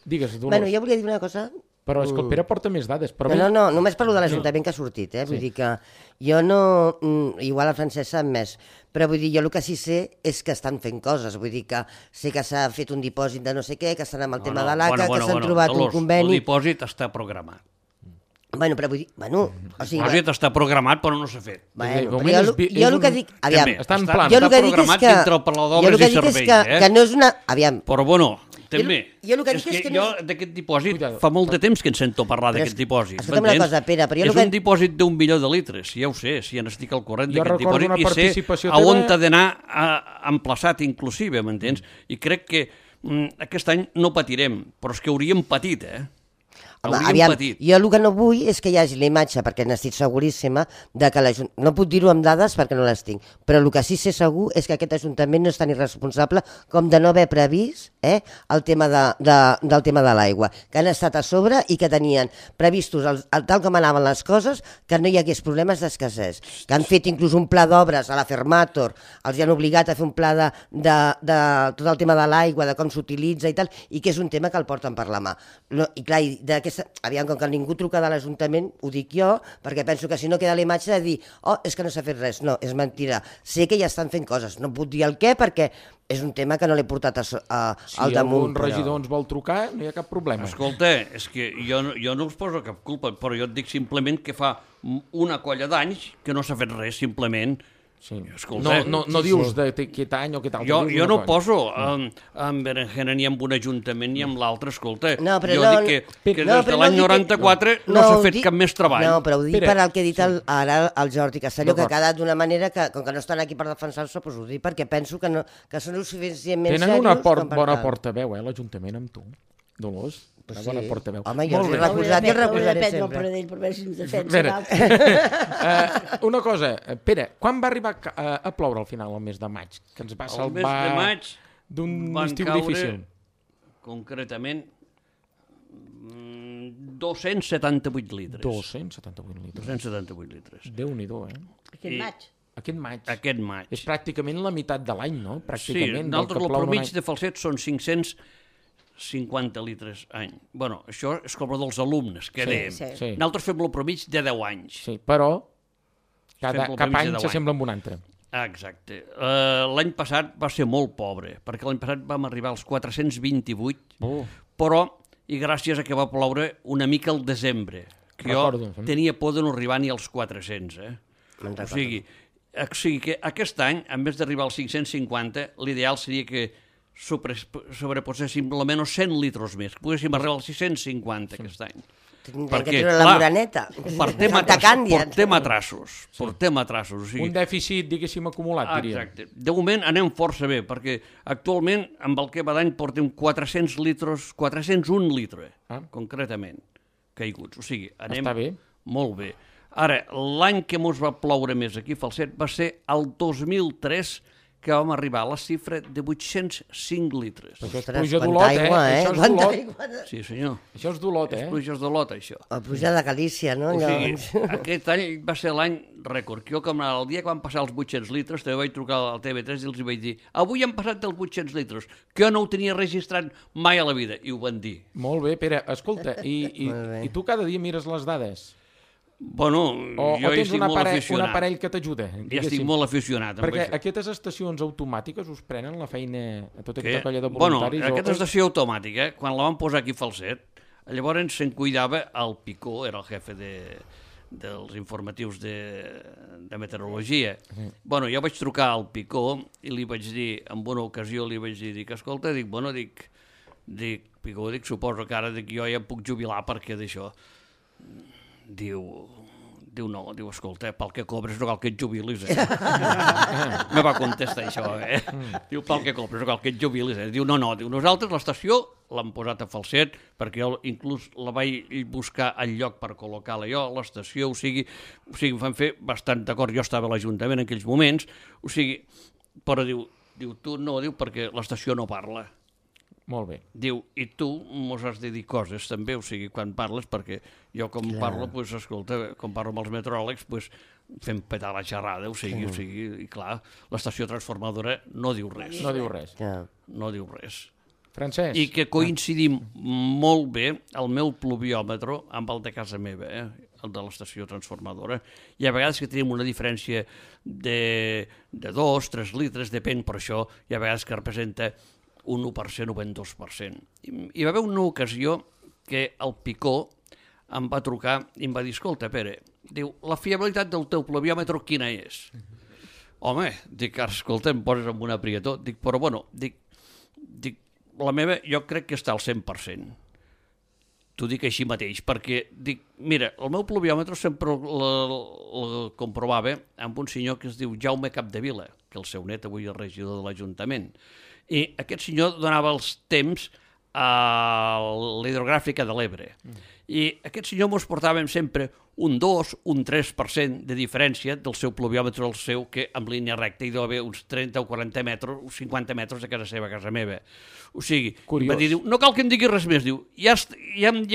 Digues, Dolors. Bueno, jo volia dir una cosa. Però és que el Pere porta més dades. Però No, només parlo de l'Ajuntament que ha sortit, Vull dir que jo no... Igual el Francesc sap més, però vull dir, jo el que sí sé és que estan fent coses. Vull dir que sé que s'ha fet un dipòsit de no sé què, que estan amb el tema de l'ACA, que s'han trobat un conveni... El dipòsit està programat. Bueno, però vull dir... El dipòsit està programat, però no s'ha fet. Bueno, però jo el que dic... Aviam, està en plan. Està programat dintre el Palau d'Obres i Serveis, que no és una... Aviam. Però bueno... També. Jo el que dic és que jo d'aquest dipòsit fa molt de temps que en sento parlar d'aquest dipòsit. Escolta'm una cosa, Pere, però jo és un dipòsit d'1 milió de litres, ja ho sé, si ja n'estic al corrent d'aquest dipòsit i sé a on t'ha d'anar emplaçat inclusive, m'entens? I crec que aquest any no patirem, però és que hauríem patit, Home, aviam, jo el que no vull és que hi hagi la imatge, perquè n'estic seguríssima, de que no puc dir-ho amb dades perquè no les tinc, però el que sí sé segur és que aquest Ajuntament no és tan irresponsable com de no haver previst el tema del tema de l'aigua, que han estat a sobre i que tenien previstos, tal com anaven les coses, que no hi hagués problemes d'escassez, que han fet inclús un pla d'obres a la Fermator, els han obligat a fer un pla de tot el tema de l'aigua, de com s'utilitza i tal, i que és un tema que el porten per la mà. I clar, aviam, com que ningú truca de l'Ajuntament, ho dic jo, perquè penso que si no queda la imatge de dir, és que no s'ha fet res. No, és mentida. Sé que ja estan fent coses. No puc dir el què perquè és un tema que no l'he portat al damunt. Si algun regidor ens vol trucar, no hi ha cap problema. Escolta, és que jo no us poso cap culpa, però jo et dic simplement que fa una colla d'anys que no s'ha fet res, simplement. Sí. No dius d'aquest any o aquest altre. Jo no poso en berenjena ni en un ajuntament ni en l'altre, escolta. Jo dic que des de l'any 94 no s'ha fet cap més treball. No, però ho dic per al que he dit ara al Jordi Castelló, que ha quedat d'una manera que, com que no estan aquí per defensar-se, doncs ho dic perquè penso que són suficientment serios. Tenen una bona portaveu, l'Ajuntament, amb tu, Dolors. Una bona portaveu. Home, jo l'he recolzat i el recolzaré sempre. Per veure si ens defensa. Una cosa, Pere, quan va arribar a ploure al final, el mes de maig? Que ens va salvar d'un estiu difícil. Concretament, 278 litres. 278 litres. Déu-n'hi-do, Aquest maig. Aquest maig. És pràcticament la meitat de l'any, no? Sí, nosaltres el promig de Falset són 550 litres any. Bueno, això és com dels alumnes, que dèiem. Sí. Nosaltres fem el promig de 10 anys. Sí, però cap any s'assembla amb un altre. Exacte. L'any passat va ser molt pobre, perquè l'any passat vam arribar als 428, però, i gràcies a que va ploure una mica al desembre, que jo tenia por de no arribar ni als 400, O sigui que aquest any, en vez d'arribar als 550, l'ideal seria que sobreposéssim almenys 100 litres més, que poguéssim arribar als 650 aquest any. Perquè, la moraneta. Portem atrassos. Un dèficit, diguéssim, acumulat, diria. Exacte. De moment anem força bé, perquè actualment, amb el que va d'any, portem 401 litres, concretament, caiguts. O sigui, anem molt bé. Ara, l'any que ens va ploure més aquí a Falset va ser el 2003, que vam arribar a la xifra de 805 litres. Això és pluja d'Olot, Això és d'Olot. Sí, senyor. Això és d'Olot, És pluja d'Olot, això. La pluja de Galícia, no? O sigui, aquest any va ser l'any rècord. Jo, com el dia que van passar els 800 litres, també vaig trucar al TV3 i els vaig dir avui han passat els 800 litres, que jo no ho tenia registrat mai a la vida, i ho van dir. Molt bé, Pere. Escolta, i tu cada dia mires les dades? Bueno, jo hi estic molt aficionat. Un aparell que t'ajuda. Ja estic molt aficionat. Perquè aquestes estacions automàtiques us prenen la feina a tota aquesta colla de voluntaris? Bueno, aquesta estació automàtica, quan la vam posar aquí a Falset, llavors se'n cuidava el Picó, era el jefe dels informatius de meteorologia. Bueno, jo vaig trucar al Picó i li vaig dir, en una ocasió li vaig dir, escolta, Picó, suposo que ara jo ja em puc jubilar perquè d'això. Diu, Diu, no, diu, escolta, pel que cobres no cal que et jubilis, Me va contestar això, Diu, pel que cobres no cal que et jubilis, Diu, no, diu, nosaltres l'estació l'hem posat a falset, perquè jo inclús la vaig buscar al lloc per col·locar-la jo, a l'estació, o sigui, vam fer bastant d'acord, jo estava a l'Ajuntament en aquells moments, però diu, tu no, diu, perquè l'estació no parla. Molt bé. Diu, i tu mos has de dir coses també, o sigui, quan parles, perquè jo com parlo, doncs, escolta, com parlo amb els meteoròlegs, doncs, fem petar la xerrada, o sigui, i clar, l'estació transformadora no diu res. No diu res. No diu res. Francesc. I que coincidim molt bé el meu pluviòmetre amb el de casa meva, el de l'estació transformadora. I a vegades que tenim una diferència de 2-3 litres, depèn per això, i a vegades que representa un 1% o un 2%. Hi va haver una ocasió que el Picó em va trucar i em va dir, escolta, Pere, diu, la fiabilitat del teu pluviòmetre quina és? Home, dic, escolta, em poses amb una prietó. Dic, però bueno, dic, la meva jo crec que està al 100%. T'ho dic així mateix, perquè dic, mira, el meu pluviòmetre sempre el comprovava amb un senyor que es diu Jaume Capdevila, que el seu net avui és regidor de l'Ajuntament. I aquest senyor donava els temps a l'hidrogràfica de l'Ebre. I aquest senyor mos portàvem sempre un 2, un 3% de diferència del seu pluviòmetre al seu, que en línia recta hi deu haver uns 30 o 40 metres, uns 50 metres de casa seva, a casa meva. O sigui, va dir, no cal que em digui res més, diu, ja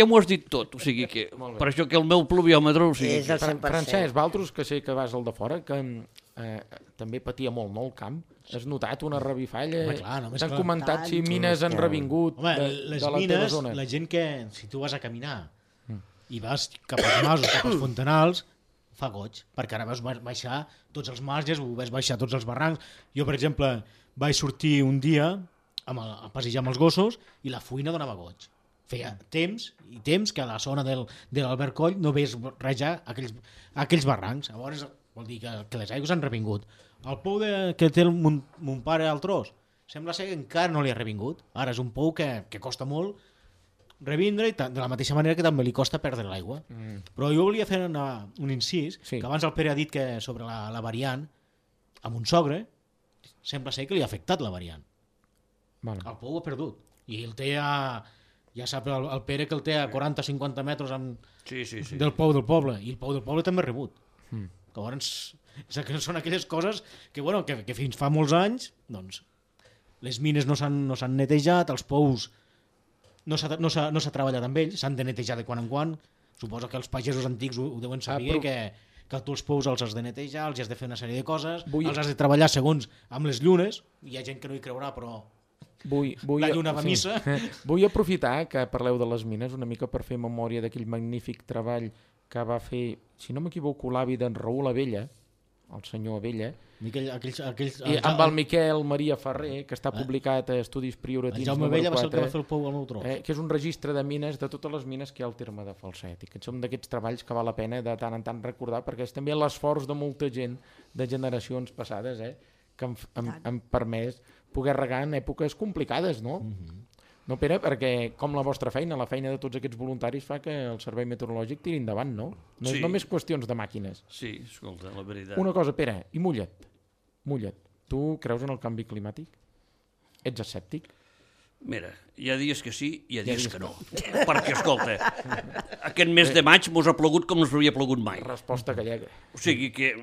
m'ho has dit tot. O sigui que, per això que el meu pluviòmetre... O sigui, és el 100%. Francesc, vosaltres que sé que vas al de fora, que també patia molt, no, el camp. Has notat una revifalla? T'han comentat si mines han revingut de la teva zona? La gent que, si tu vas a caminar i vas cap als masos, cap als fontanals, fa goig, perquè ara vas baixar tots els marges, vas baixar tots els barrancs. Jo, per exemple, vaig sortir un dia a passejar amb els gossos i la fuina donava goig. Feia temps que a la zona de l'Albert Coll no veies rajar aquells barrancs. Llavors vol dir que les aigües han revingut. El pou que té mon pare al Tros sembla ser que encara no li ha revingut. Ara és un pou que costa molt revindre, i de la mateixa manera que també li costa perdre l'aigua. Però jo volia fer un incís, que abans el Pere ha dit que sobre la variant, amb un sogre, sembla ser que li ha afectat la variant. El pou ha perdut. I el té ja sap el Pere que el té a 40-50 metres del pou del poble, i el pou del poble també ha rebut. Llavors, són aquelles coses que fins fa molts anys doncs, les mines no s'han netejat, els pous no s'ha treballat amb ells, s'han de netejar de quan en quan. Suposo que els pagesos antics ho deuen saber, que tu els pous els has de netejar, els has de fer una sèrie de coses, els has de treballar segons amb les llunes. Hi ha gent que no hi creurà, però la lluna va a missa. Vull aprofitar que parleu de les mines una mica per fer memòria d'aquell magnífic treball que va fer, si no m'equivoco, l'avi d'en Raül Abella, el senyor Abella, i amb el Miquel Maria Ferrer, que està publicat a Estudis Prioratins número 4. El Jaume Abella va ser el que va fer el pou al meu Tros. Que és un registre de mines, de totes les mines que hi ha al terme de Falset, i que són d'aquests treballs que val la pena de tant en tant recordar, perquè és també l'esforç de molta gent de generacions passades, que han permès poder regar en èpoques complicades, no? No, Pere, perquè com la vostra feina, la feina de tots aquests voluntaris fa que el servei meteorològic tiri endavant, no? No és només qüestions de màquines. Sí, escolta, la veritat. Una cosa, Pere, i mulla't. Tu creus en el canvi climàtic? Ets escèptic? Mira, hi ha dies que sí i hi ha dies que no. Perquè, escolta, aquest mes de maig mos ha plogut com no s'havia plogut mai. Resposta gallega. O sigui que...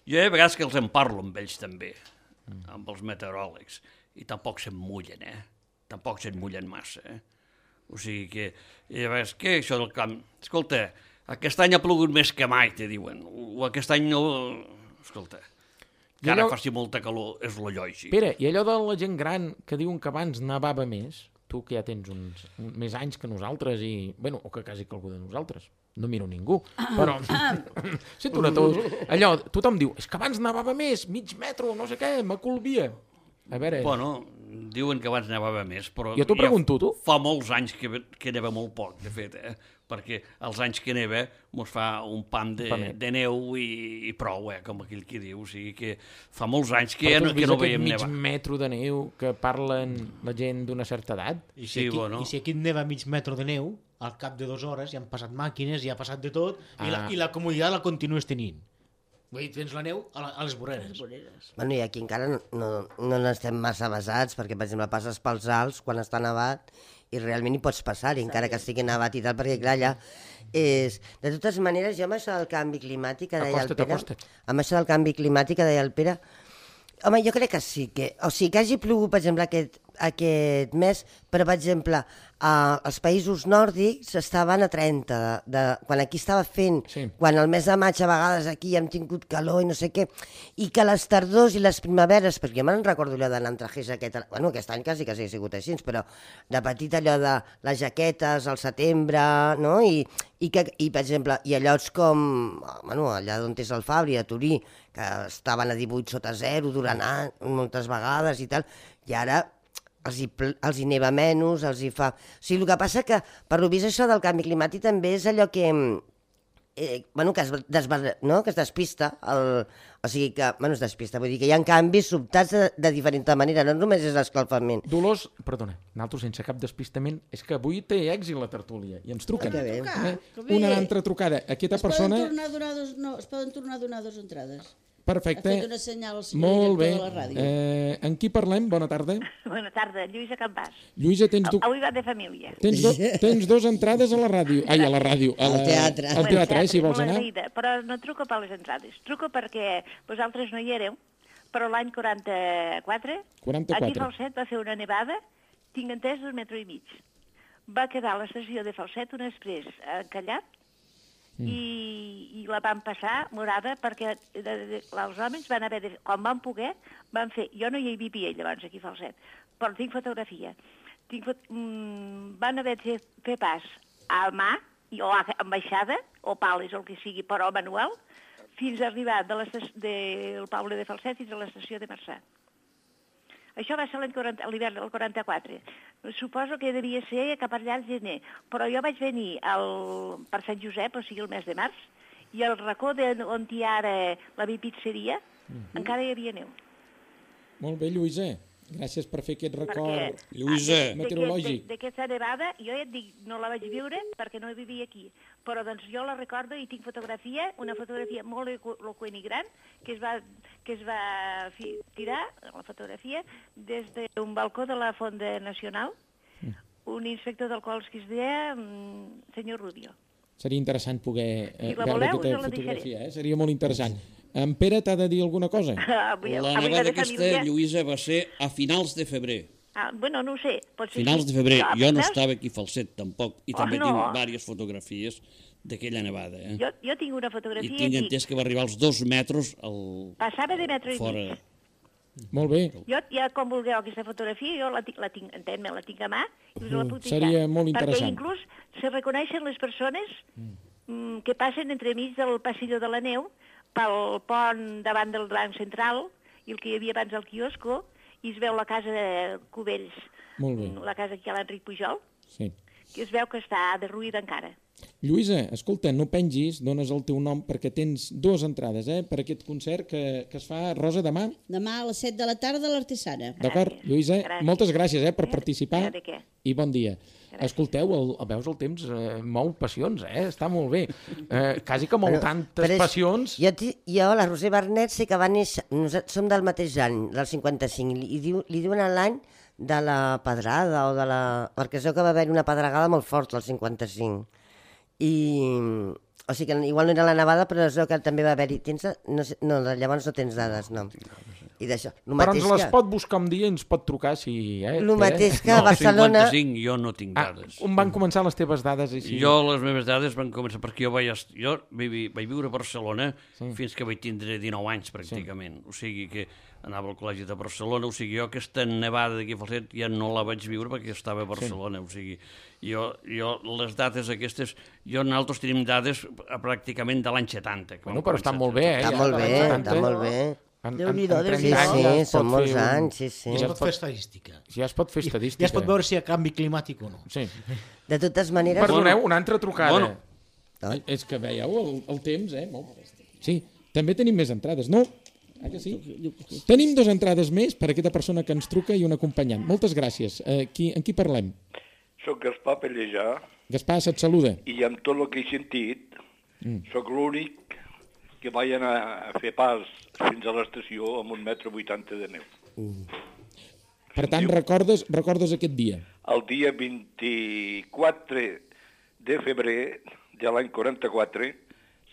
jo hi ha vegades que els en parlo amb ells també, amb els meteoròlegs, i tampoc se'n mullen, Tampoc se'n mullen massa, O sigui que... I a vegades, què això del camp? Escolta, aquest any ha plogut més que mai, te diuen. O aquest any no... Escolta, que ara faci molta calor, és lo lògic. Pere, i allò de la gent gran que diuen que abans nevava més, tu que ja tens uns més anys que nosaltres i... Bueno, o que quasi que algú de nosaltres. No miro ningú, però... Sento una tos. Allò, tothom diu, és que abans nevava més, mig metro, no sé què, m'acolvia. A veure... Bueno, diuen que abans nevava més, però... Jo t'ho pregunto, tu? Fa molts anys que neva molt poc, de fet, perquè els anys que neva mos fa un pam de neu i prou, com aquell que diu. O sigui que fa molts anys que no veiem nevar. Mig metro de neu que parlen la gent d'una certa edat? I si aquí neva mig metro de neu, al cap de 2 hores ja han passat màquines, ja ha passat de tot, i la comoditat la continues tenint. Vull dir, tens la neu a les voreres. Bueno, i aquí encara no n'estem massa basats, perquè, per exemple, passes pels alts quan està nevat i realment hi pots passar, encara que estigui nevat i tal, perquè, clar, allà és... De totes maneres, jo amb això del canvi climàtic, que deia el Pere... Amb això del canvi climàtic, que deia el Pere... Home, jo crec que sí, o sigui, que hagi plogut, per exemple, aquest mes, però, per exemple, els països nòrdics estaven a 30, quan aquí estava fent, quan el mes de maig a vegades aquí hem tingut calor i no sé què, i que les tardors i les primaveres, perquè jo me'n recordo allò d'anar amb trajers aquest any quasi ha sigut així, però de petit allò de les jaquetes al setembre, no? I per exemple, i a llocs com, allà on és el Fabri, a Turí, que estaven a 18 sota 0 durant anys, moltes vegades i tal, i ara els hi neva menys, els hi fa... O sigui, el que passa que, per lo vist, això del canvi climàtic també és allò que... que es despista. O sigui que, es despista, vull dir que hi ha canvis sobtats de diferent manera, no només és l'escalfament. Dolors, perdona, nosaltres sense cap despistament, és que avui té èxit la tertúlia i ens truquen. Una altra trucada. Aquesta persona... Es poden tornar a donar 2 entrades. Perfecte. Ha fet una senyal al senyor director de la ràdio. En qui parlem? Bona tarda. Bona tarda, Lluïsa Campàs. Lluïsa, avui va de família. Tens 2 entrades a la ràdio. Ai, a la ràdio. Al teatre. Al teatre, si vols anar. Però no truco per les entrades. Truco perquè vosaltres no hi éreu, però l'any 44, aquí a Falset va fer una nevada, tinc entès, 1,5 metres. Va quedar a l'estació de Falset un exprés encallat, i la van passar morada perquè els homes van haver de, quan van poder, van fer, jo no hi vivia llavors aquí a Falset, però tinc fotografia, van haver de fer pas a mà o amb baixada o pales o el que sigui, però manual, fins a arribar del poble de Falset fins a l'estació de Marçà. Això va ser l'hivern del 44. Suposo que devia ser cap allà al gener, però jo vaig venir per Sant Josep, o sigui el mes de març, i al racó on hi ha ara la bipizzeria encara hi havia neu. Molt bé, Lluïsa. Gràcies per fer aquest record meteorològic. D'aquesta nevada, jo ja et dic, no la vaig viure perquè no vivia aquí, però doncs jo la recordo i tinc fotografia, una fotografia molt eloqüent i gran, que es va tirar, la fotografia, des d'un balcó de la Fonda Nacional, un inspector del qual es deia senyor Rubio. Seria interessant poder veure aquesta fotografia, seria molt interessant. En Pere t'ha de dir alguna cosa? La nevada aquesta, Lluïsa, va ser a finals de febrer. Bueno, no ho sé. Finals de febrer. Jo no estava aquí a Falset, tampoc, i també tinc diverses fotografies d'aquella nevada. Jo tinc una fotografia aquí. I tinc entès que va arribar als 2 metres Passava de metre i mig. Molt bé. Jo, ja com vulgueu aquesta fotografia, jo la tinc, entén-me, la tinc a mà i us la puc deixar. Seria molt interessant. Perquè inclús se reconeixen les persones que passen entremig del passillo de la neu pel pont davant del Banc Central i el que hi havia abans al quiosco, i es veu la casa de Cubells, la casa aquí a l'Enric Pujol, que es veu que està derruïda encara. Lluïsa, escolta, no pengis, dones el teu nom perquè tens 2 entrades per aquest concert que es fa, Rosa, demà? Demà a les 7 de la tarda a l'Artesana. D'acord, Lluïsa, moltes gràcies per participar i bon dia. Escolteu, veus el temps mou passions, està molt bé. Quasi que mou tantes passions. Jo, la Roser Bernet, sé que va néixer, som del mateix any, del 55, li diuen l'any de la pedrada o de la... Perquè es veu que va haver una pedregada molt forta al 55. O sigui que igual no era la nevada, però es veu que també va haver-hi... No, llavors no tens dades, no. I d'això. Però ens les pot buscar un dia i ens pot trucar si... El mateix que a Barcelona... 55 jo no tinc dades. On van començar les teves dades? Jo, les meves dades van començar perquè jo vaig viure a Barcelona fins que vaig tindre 19 anys, pràcticament. O sigui que anava al col·legi de Barcelona, o sigui, jo aquesta nevada d'aquí a Falset ja no la vaig viure perquè estava a Barcelona, o sigui, jo les dates aquestes, nosaltres tenim dades pràcticament de l'any 70. Bueno, però està molt bé, Està molt bé. Déu-n'hi-do, són molts anys, sí. Ja es pot fer estadística. Ja es pot fer estadística. Ja es pot veure si hi ha canvi climàtic o no. Sí. De totes maneres... Perdoneu, una altra trucada. És que veieu el temps, Sí, també tenim més entrades, no? Que sí? Tenim 2 entrades més per a aquesta persona que ens truca i un acompanyant. Moltes gràcies. En qui parlem? Soc Gaspar Pellejà. Gaspar, se't saluda. I amb tot el que he sentit, sóc l'únic que vaig anar a fer pas fins a l'estació amb 1,80 m de neu. Per tant, recordes aquest dia? El dia 24 de febrer de l'any 44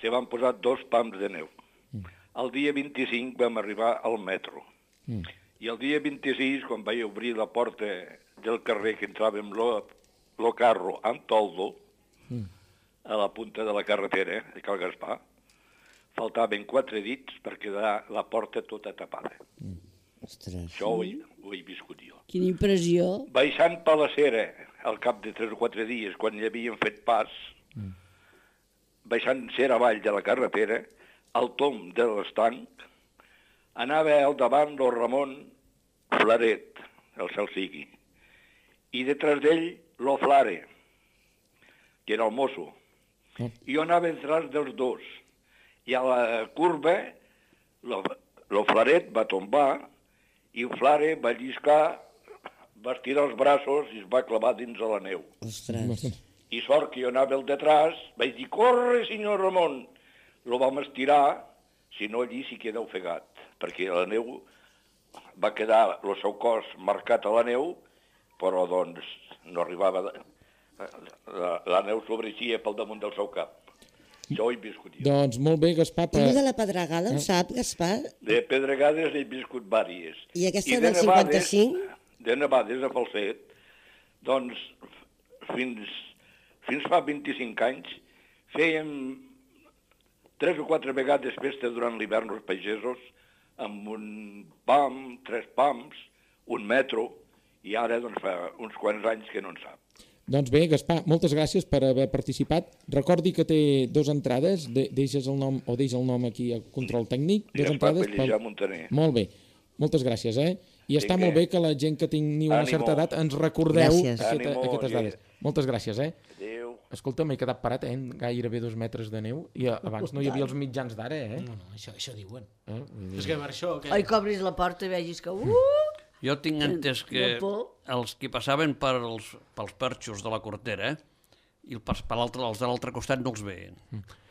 se van posar 2 pams de neu. El dia 25 vam arribar al metro. I el dia 26, quan vaig obrir la porta del carrer que entràvem lo carro amb toldo, a la punta de la carretera de Cal Gaspar, faltaven 4 dits per quedar la porta tota tapada. Ostres. Això ho he viscut jo. Quina impressió. Baixant per la cera, al cap de 3 o 4 dies, quan hi havien fet pas, baixant cera avall de la carretera, al tom de l'estanc, anava al davant del Ramon Flaret, el cel sigui, i detrás d'ell lo Flare, que era el mosso. I jo anava detrás dels dos. I a la curva, lo Flaret va tombar i el Flare va lliscar, va estirar els braços i es va clavar dins de la neu. Ostres. I sort que jo anava al detrás, vaig dir, corre, senyor Ramon. Lo vam estirar, si no allí s'hi queda ofegat, perquè la neu va quedar el seu cos marcat a la neu, però doncs no arribava... La neu sobreixia pel damunt del seu cap. Això ho he viscut jo. Doncs molt bé, Gaspar. I de la pedregada, ho sap, Gaspar? De pedregades he viscut vàries. I aquesta del 55? De nevades a Falset, doncs fins fa 25 anys fèiem 3 o 4 vegades festa durant l'hivern els pagesos amb un pam, 3 pams, un metro, i ara doncs fa uns quants anys que no en sap. Doncs bé, Gaspar, moltes gràcies per haver participat. Recordi que té 2 entrades, deixes el nom o deixa el nom aquí al control tècnic. 2 entrades Pellejà Montaner. Molt bé, moltes gràcies, I està molt bé que la gent que tingui una certa edat ens recordeu aquestes dades. Moltes gràcies, Adéu. Escolta, m'he quedat parat, gairebé 2 metres de neu, i abans no hi havia els mitjans d'ara, No, això diuen. És que per això... Oi, que obris la porta i vegis que... Jo tinc entès que els que passaven pels perxos de la cortera i els de l'altre costat no els veien.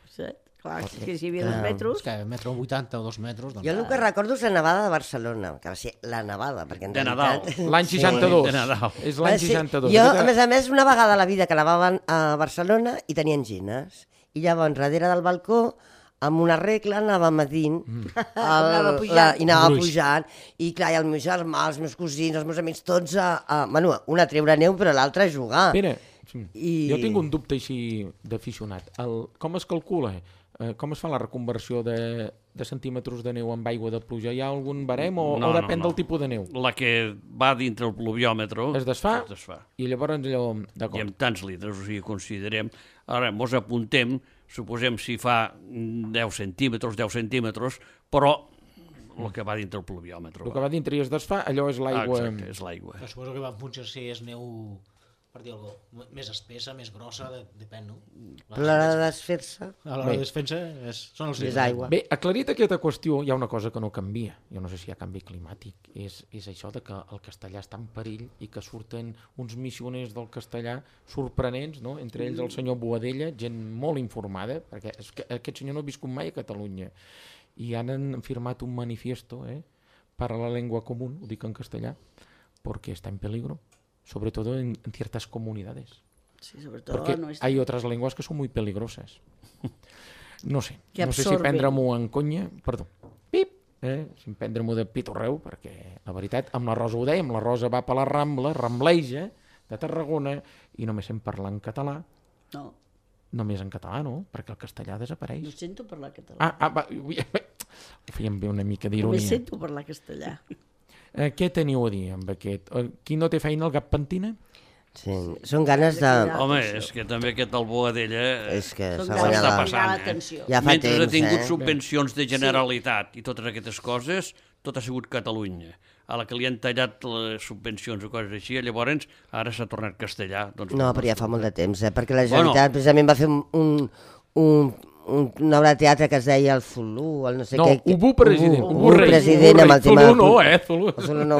Sí, clar, que si hi havia 2 metros... És que 1,80 m o 2 metres... Jo el que recordo és la nevada de Barcelona, que va ser la nevada, perquè en Nadal. L'any 62. De Nadal. És l'any 62. Jo, a més, una vegada a la vida que nevaven a Barcelona i tenien gines. I llavors, darrere del balcó, amb una regla anava medint i anava pujant. I clar, i el meu germà, els meus cosins, els meus amics, tots un a treure neu, però l'altre a jugar. Pere, jo tinc un dubte així d'aficionat. Com es calcula? Com es fa la reconversió de centímetres de neu amb aigua de pluja? Hi ha algun barem o depèn del tipus de neu? La que va dintre el pluviòmetre es desfà i llavors allò... I amb tants litres, o sigui, considerem... Ara, mos apuntem, suposem si fa 10 centímetres, però el que va dintre el pluviòmetre. El que va dintre i es desfà, allò és l'aigua... Exacte, és l'aigua. Suposo que va punxar si és neu... per dir alguna cosa, més espessa, més grossa, depèn, no? Però a l'hora de desfer-se... A l'hora de desfer-se són els és aigua. Bé, aclarit aquesta qüestió, hi ha una cosa que no canvia. Jo no sé si hi ha canvi climàtic. És això de que el castellà està en perill i que surten uns missioners del castellà sorprenents, no? Entre ells el senyor Boadella, gent molt informada, perquè aquest senyor no ha viscut mai a Catalunya. I han firmat un manifiesto para la lengua común, ho dic en castellà, porque está en peligro. Sobre todo en ciertas comunidades. Sí, sobre todo porque hay otras lenguas que son muy peligrosas. No sé si prendre-m'ho en conya, perdó, si prendre-m'ho de pitorreu, perquè la veritat, amb la Rosa ho dèiem, la Rosa va per la Rambla, rambleja, de Tarragona, i només sent parlar en català. No. Només en català, no? Perquè el castellà desapareix. No sento parlar català. Ho fèiem bé una mica d'ironia. Només sento parlar castellà. Què teniu a dir amb aquest? Qui no té feina, el gat pentina? Sí, són ganes de... Home, és que també aquest del Boadella s'ha guanyat la passant. Ja fa mentre ha tingut subvencions de Generalitat i totes aquestes coses, tot ha sigut Catalunya. A la que li han tallat les subvencions o coses així, llavors ara s'ha tornat castellà. No, però ja fa molt de temps, perquè la Generalitat precisament va fer una obra de teatre que es deia el Zulu, el no sé què... Ubu president. Ubu president amb el tema... Zulu no, Zulu. Zulu no,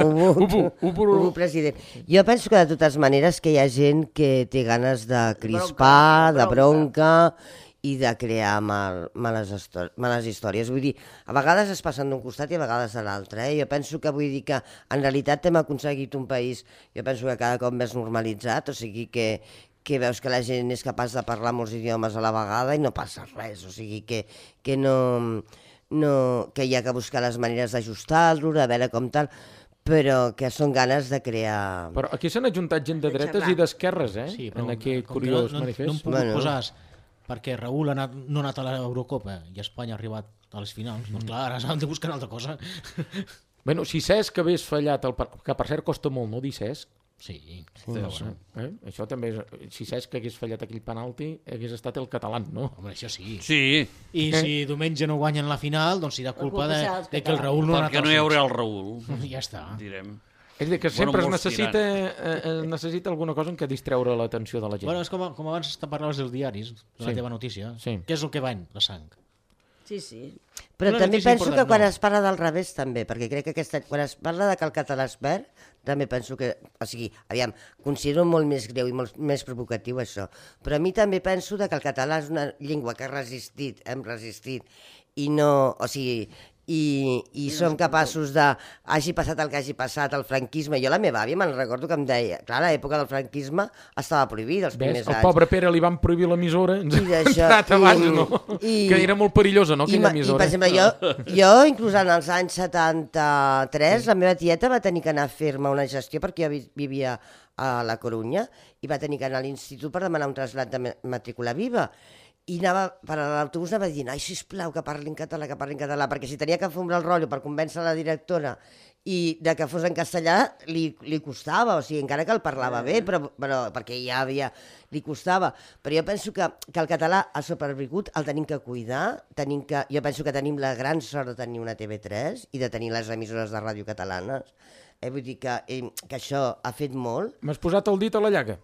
Ubu president. Jo penso que de totes maneres que hi ha gent que té ganes de crispar, de bronca i de crear males històries. Vull dir, a vegades es passen d'un costat i a vegades de l'altre. Jo penso que vull dir que en realitat hem aconseguit un país, jo penso que cada cop més normalitzat, o sigui que veus que la gent és capaç de parlar molts idiomes a la vegada i no passa res, o sigui que no, que hi ha que buscar les maneres d'ajustar-lo, de veure com tal, però que són ganes de crear... Però aquí s'han ajuntat gent de dretes i d'esquerres, Sí, en aquest curiós manifest. No em puc posar, perquè Raül no ha anat a l'Eurocopa i Espanya ha arribat a les finals, doncs clar, ara s'han de buscar una altra cosa. Bueno, si Cesc hagués fallat, que per cert costa molt, no dir Cesc? Sí. Això també és... Si Cesc hagués fallat aquell penalti, hagués estat el català, no? Home, això sí. Sí. I si diumenge no guanyen la final, doncs serà culpa de que el Raül no ha anat. Perquè no hi haurà el Raül. Ja està. Direm. És a dir, que sempre es necessita alguna cosa en què distreure l'atenció de la gent. Bueno, és com abans parlaves dels diaris, de la teva notícia. Què és el que va en la sang? Sí. Però també penso que quan es parla del revés també, perquè crec que quan es parla de que el català es perd, també penso que, o sigui, aviam, considero molt més greu i molt més provocatiu això, però a mi també penso que el català és una llengua que hem resistit, i no, o sigui, i som capaços de, hagi passat el que hagi passat, el franquisme. Jo la meva àvia me'n recordo que em deia, clar, a l'època del franquisme estava prohibida els primers anys. El pobre Pere li van prohibir l'emissora, que era molt perillosa, no, aquella emissora. I, per exemple, jo inclús en els anys 73, la meva tieta va tenir que anar a fer-me una gestió perquè jo vivia a la Corunya i va tenir que anar a l'institut per demanar un trasllat de matrícula viva. I anava, per a l'autobús anava dient, ai, sisplau, que parli en català, perquè si tenia que fumar el rotllo per convèncer la directora i de que fos en castellà, li costava, o sigui, encara que el parlava bé, però perquè ja li costava. Però jo penso que el català ha sobreviscut, el tenim que cuidar, jo penso que tenim la gran sort de tenir una TV3 i de tenir les emissores de ràdio catalanes. Vull dir que això ha fet molt. M'has posat el dit a la llaga?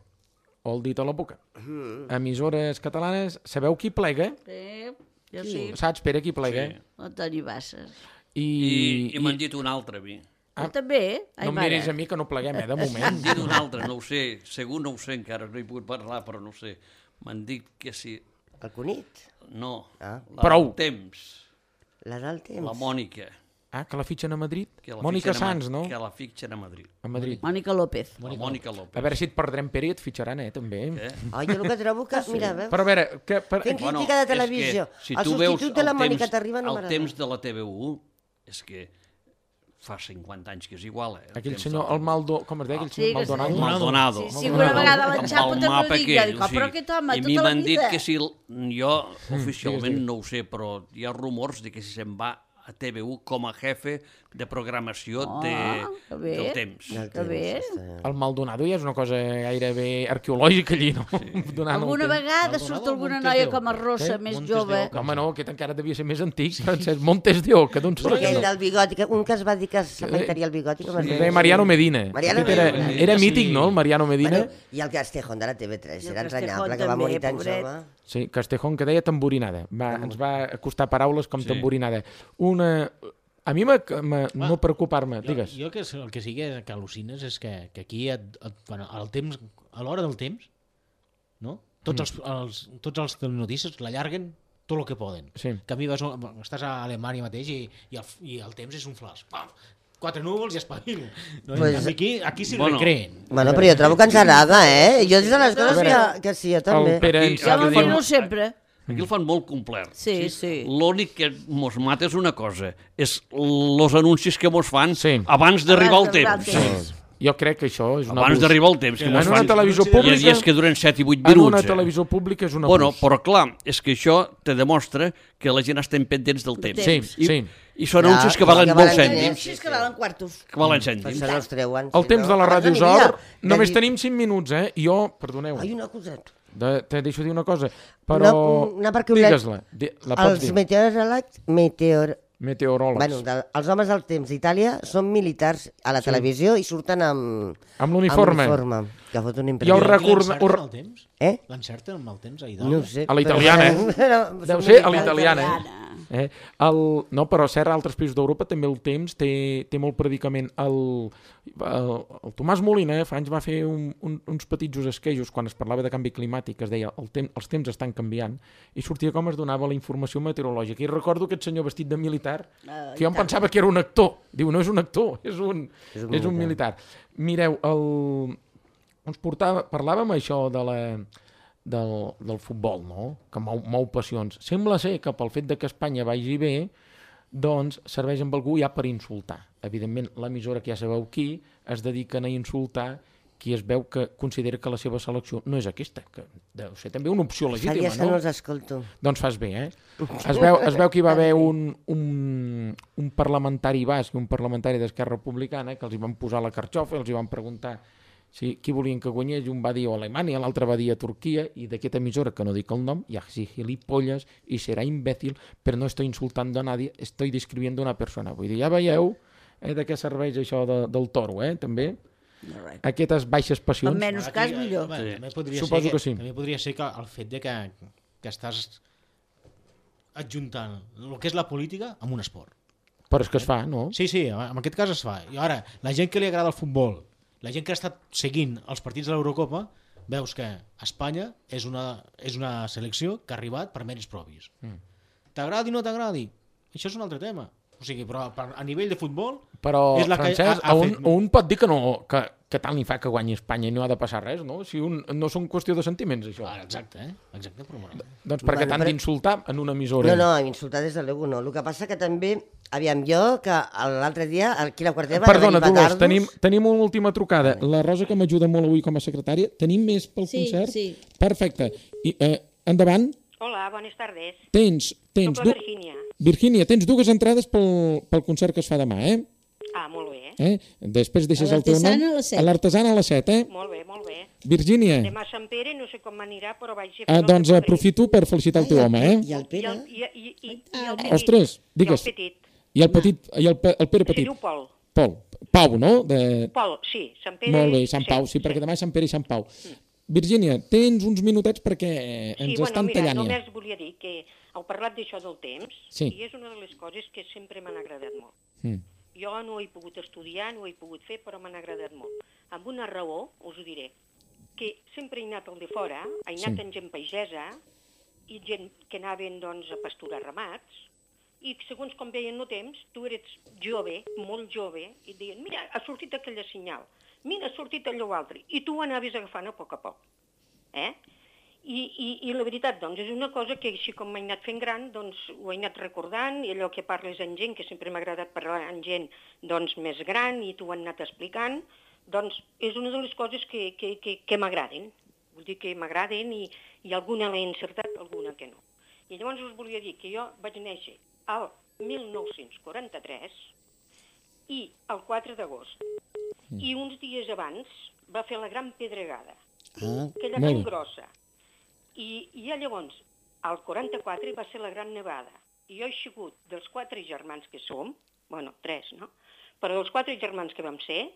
O el dit a la boca. Emissores catalanes, sabeu qui plega? Sí, jo sí. Saps, Pere, qui plega? Sí. El Toni Bassas. I m'han dit un altre, a mi. Jo també, no em miris a mi que no pleguem, de moment. M'han dit un altre, no ho sé, segur no ho sé encara, no he pogut parlar, però no ho sé. M'han dit que sí. El Cunit? No, Prou. Temps. La del Temps? La Mònica. Que la fitxen a Madrid? Mònica Sans, no? Que la fitxen a Madrid. A Madrid. Mònica López. Mònica López. A veure si et perdrem, Pere, i et fitxaran, també. Jo el que trobo que... Mira, veus? Però a veure... Fent crítica de televisió. Si el substitut de la Mònica Terriba no m'agrada. El temps de la TV1 és que fa 50 anys que és igual, Aquell senyor, el Maldo... Com es deia aquell senyor? Maldonado. Sí, una vegada l'enxapo també ho dic. Però aquest home, tota la vida... I a mi m'han dit que si... Jo oficialment no ho sé, però hi ha rumors de que si se'n va a TV1 com a jefe de programació del temps. El Maldonado ja és una cosa gairebé arqueològica allí, no? Alguna vegada surt alguna noia com a Rosa, més jove. Home, no, aquest encara devia ser més antic. Montes de Oca, d'on surt? Aquell del bigoti, un que es va dir que s'afeitaria el bigoti. Mariano Medina. Era mític, no, el Mariano Medina? I el Castejón de la TV3, era entranyable, que va morir tan jove. Sí, Castejón, que deia tamborinada. Ens va acostar paraules com tamborinada. A mi no preocupar-me, digues. Jo el que sí que al·lucines és que aquí, a l'hora del temps, tots els notícies l'allarguen tot el que poden. Que a mi estàs a Alemanya mateix i el temps és un flash. 4 núvols i espavil. Aquí s'hi recreen. Bueno, però jo trobo que ens agrada, Jo és de les coses que sí, jo també. Jo m'enfino sempre. Aquí el fan molt complet. Sí. L'únic que mos mata és una cosa, és els anuncis que mos fan abans d'arribar el temps. Jo crec que això és un abús. Abans d'arribar el temps, que mos fan... Hi ha dies que duren 7 i 8 minuts. En una televisió pública és un abús. Bueno, però clar, és que això te demostra que la gent estem pendents del temps. Sí. I són anuncis que valen molts cèntims. Anuncis que valen quartos. Que valen cèntims. El temps de la Ràdio Zor, només tenim 5 minuts, I jo, perdoneu. Ai, una coseta. Te deixo dir una cosa, però digues-la. Els meteoròlegs. Bueno, els homes del temps d'Itàlia són militars a la televisió i surten amb l'uniforme. Que fot una Jo impressió. recordo... L'encerten el temps? Eh? L'encerten amb el temps a No Hidalgo? ho sé. A la italiana, Deu ser a l'italiana, No, però cert, a altres països d'Europa també el temps té molt predicament. El Tomàs Molina fa anys va fer uns petits esquejos quan es parlava de canvi climàtic, es deia els temps estan canviant, i sortia com es donava la informació meteorològica. I recordo aquest senyor vestit de militar, que jo em pensava que era un actor. Diu, no és un actor, és un militar. Mireu, parlàvem això del futbol, no? Que mou passions. Sembla ser que pel fet de que Espanya vagi bé, doncs serveix amb algú ja per insultar. Evidentment, l'emissora que ja sabeu qui es dediquen a insultar qui es veu que considera que la seva selecció no és aquesta, que deu ser també una opció legítima, Fa dies que no? no els escolto. Doncs fas bé, Es veu que hi va haver un parlamentari basc i un parlamentari d'Esquerra Republicana que els hi van posar la carxofa i els hi van preguntar qui volien que guanyés, i un va dir a Alemanya, l'altre va dir a Turquia, i d'aquesta emissora, que no dic el nom, ja sí, gilipollas i serà imbècil, però no estoy insultando a nadie, estoy describiendo una persona. Vull dir, ja veieu de què serveix això del toro, també? Aquestes baixes passions. En menys cas, millor. Suposo que sí. També podria ser que el fet de que estàs adjuntant el que és la política amb un esport. Però és que es fa, no? Sí, en aquest cas es fa. I ara, la gent que li agrada el futbol, la gent que ha estat seguint els partits de l'Eurocopa, veus que Espanya és una selecció que ha arribat per mèrits propis. T'agradi o no t'agradi? Això és un altre tema. O sigui, però a nivell de futbol... Però, és la Francesc, que un pot dir que tant li fa que guanyi Espanya i no ha de passar res, no? Si no són qüestió de sentiments, això. Exacte, però bueno. Doncs perquè t'han d'insultar en una emissora. No, insultar des de l'ego no. El que passa que també, aviam, jo, que l'altre dia, aquí a la Quartera... Perdona, Dolors, tenim una última trucada. La Rosa, que m'ajuda molt avui com a secretària. Tenim més pel concert? Sí. Perfecte. Endavant. Hola, bones tardes. Tens Soc la Virgínia. Virgínia, tens 2 entrades pel concert que es fa demà, Ah, molt bé. Després deixes el teu nom. A l'Artesana a les 7, Molt bé. Virgínia. Demà a Sant Pere, no sé com m'anirà, però vaig a fer doncs aprofito per felicitar el teu home, I el Pere. I el petit. Ostres, digues. I el petit. I el Pere Se Petit. diu Pol. Pau, no? Pol, sí. Sant Pere... Molt bé, Sant Pau, sí, perquè demà és Sant Pere i Sant Pau. Virgínia, tens uns minutets perquè ens estan tallant ja. Només volia dir que heu parlat d'això del temps, i és una de les coses que sempre m'han agradat molt. Jo no he pogut estudiar, no ho he pogut fer, però m'han agradat molt. Amb una raó, us ho diré, que sempre he anat al de fora, he anat amb gent pagesa, i gent que anaven doncs, a pasturar ramats, i segons com veien el temps, tu eres jove, molt jove, i et deien, mira, ha sortit aquella senyal, mira, ha sortit allò altre, i tu ho anaves agafant a poc. I la veritat, doncs, és una cosa que així com m'he anat fent gran, doncs ho he anat recordant, i allò que parles amb gent, que sempre m'ha agradat parlar amb gent doncs, més gran, i t'ho han anat explicant, doncs és una de les coses que m'agraden. Vull dir que m'agraden i alguna l'he encertat, alguna que no. I llavors us volia dir que jo vaig néixer al 1943 i el 4 d'agost. I uns dies abans va fer la Gran Pedregada, aquella tan grossa. I llavors, al 44 va ser la Gran Nevada. I jo he sigut dels 4 germans que som, bueno, 3, no? Però dels 4 germans que vam ser,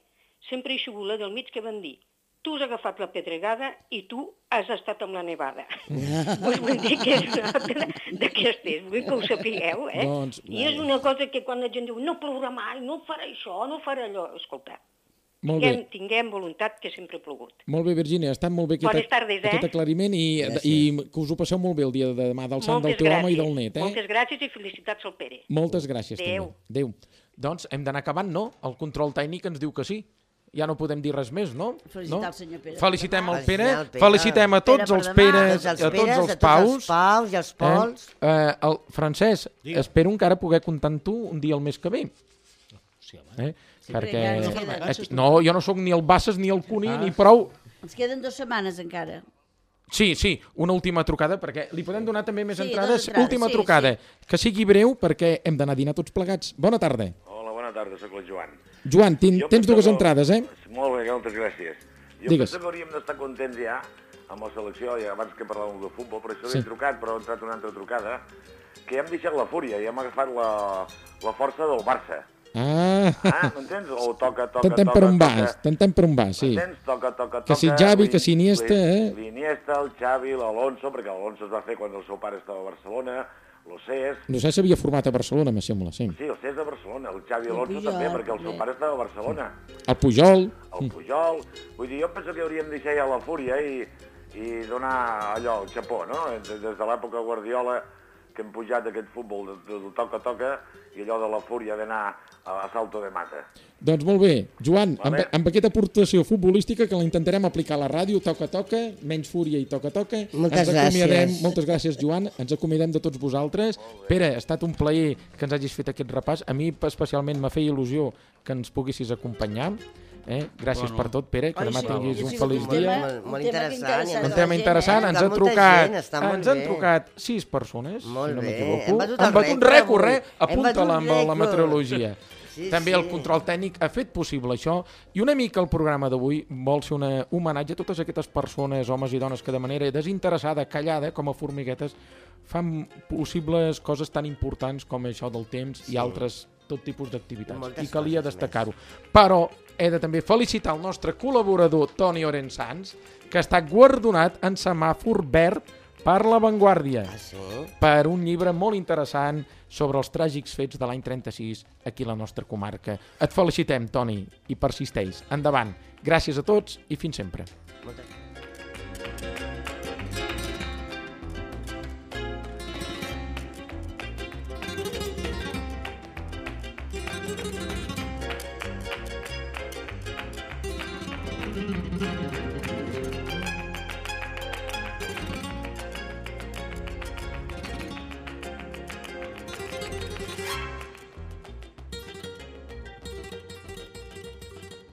sempre he sigut la del mig que van dir tu has agafat la pedregada i tu has estat amb la nevada. Us vull dir que és una altra d'aquestes, vull que ho sapigueu, I és una cosa que quan la gent diu no plourà mai, no farà això, no farà allò, escolta, tinguem voluntat que sempre ha plogut. Molt bé, Virgínia, ha estat molt bé aquest aclariment i que us ho passeu molt bé el dia de demà del sant del teu home i del net. Moltes gràcies i felicitats al Pere. Moltes gràcies també. Adéu. Doncs hem d'anar acabant, no? El control tècnic ens diu que sí. Ja no podem dir res més, no? Felicitar el senyor Pere. Felicitem el Pere, felicitem a tots els Peres, a tots els Paus. I els Pols. Francesc, espero encara poder comptar amb tu un dia el mes que ve. Sí, home. Perquè... No, jo no sóc ni el Bassas ni el Cuní, ni prou. Ens queden 2 setmanes encara. Sí, una última trucada, perquè li podem donar també més entrades. Última trucada, que sigui breu, perquè hem d'anar a dinar tots plegats. Bona tarda. Hola, bona tarda, sóc el Joan. Joan, tens 2 entrades, Molt bé, moltes gràcies. Jo penso que hauríem d'estar contents ja amb la selecció, i abans que parlàvem de futbol, per això l'he trucat, però ha entrat una altra trucada, que ja hem deixat la fúria, ja hem agafat la força del Barça. M'entens? O toca, T'entén per un vas, sí. M'entens? Toca. Que si Xavi, que si Iniesta, L'Iniesta, el Xavi, l'Alonso, perquè l'Alonso es va fer quan el seu pare estava a Barcelona, l'Océs... L'Océs s'havia format a Barcelona, me sembla, sí. Sí, l'Océs de Barcelona, el Xavi Alonso també, perquè el seu pare estava a Barcelona. El Pujol. Vull dir, jo penso que hauríem deixat ja la fúria i donar allò, el xapó, no? Des de l'època Guardiola, que hem pujat aquest futbol del toca-toca i allò de la fúria d'anar a salto de mata. Doncs molt bé, Joan, amb aquesta aportació futbolística que la intentarem aplicar a la ràdio, toca-toca, menys fúria i toca-toca. Moltes gràcies. Moltes gràcies, Joan. Ens acomiadem de tots vosaltres. Pere, ha estat un plaer que ens hagis fet aquest repàs. A mi especialment m'ha fet il·lusió que ens poguessis acompanyar. Gràcies per tot, Pere, que demà tinguis un feliç dia. Molt interessant. Un tema interessant. Ens han trucat 6 persones, si no m'equivoco. Han batut un rècord, apunta-la amb la meteorologia. També el control tècnic ha fet possible això i una mica el programa d'avui vol ser un homenatge a totes aquestes persones, homes i dones, que de manera desinteressada, callada, com a formiguetes, fan possibles coses tan importants com això del temps i altres tot tipus d'activitats. I calia destacar-ho. Però he de també felicitar el nostre col·laborador Toni Orensans, que ha estat guardonat en semàfor verd per La Vanguardia, per un llibre molt interessant sobre els tràgics fets de l'any 36 aquí a la nostra comarca. Et felicitem, Toni, i persisteix. Endavant. Gràcies a tots i fins sempre.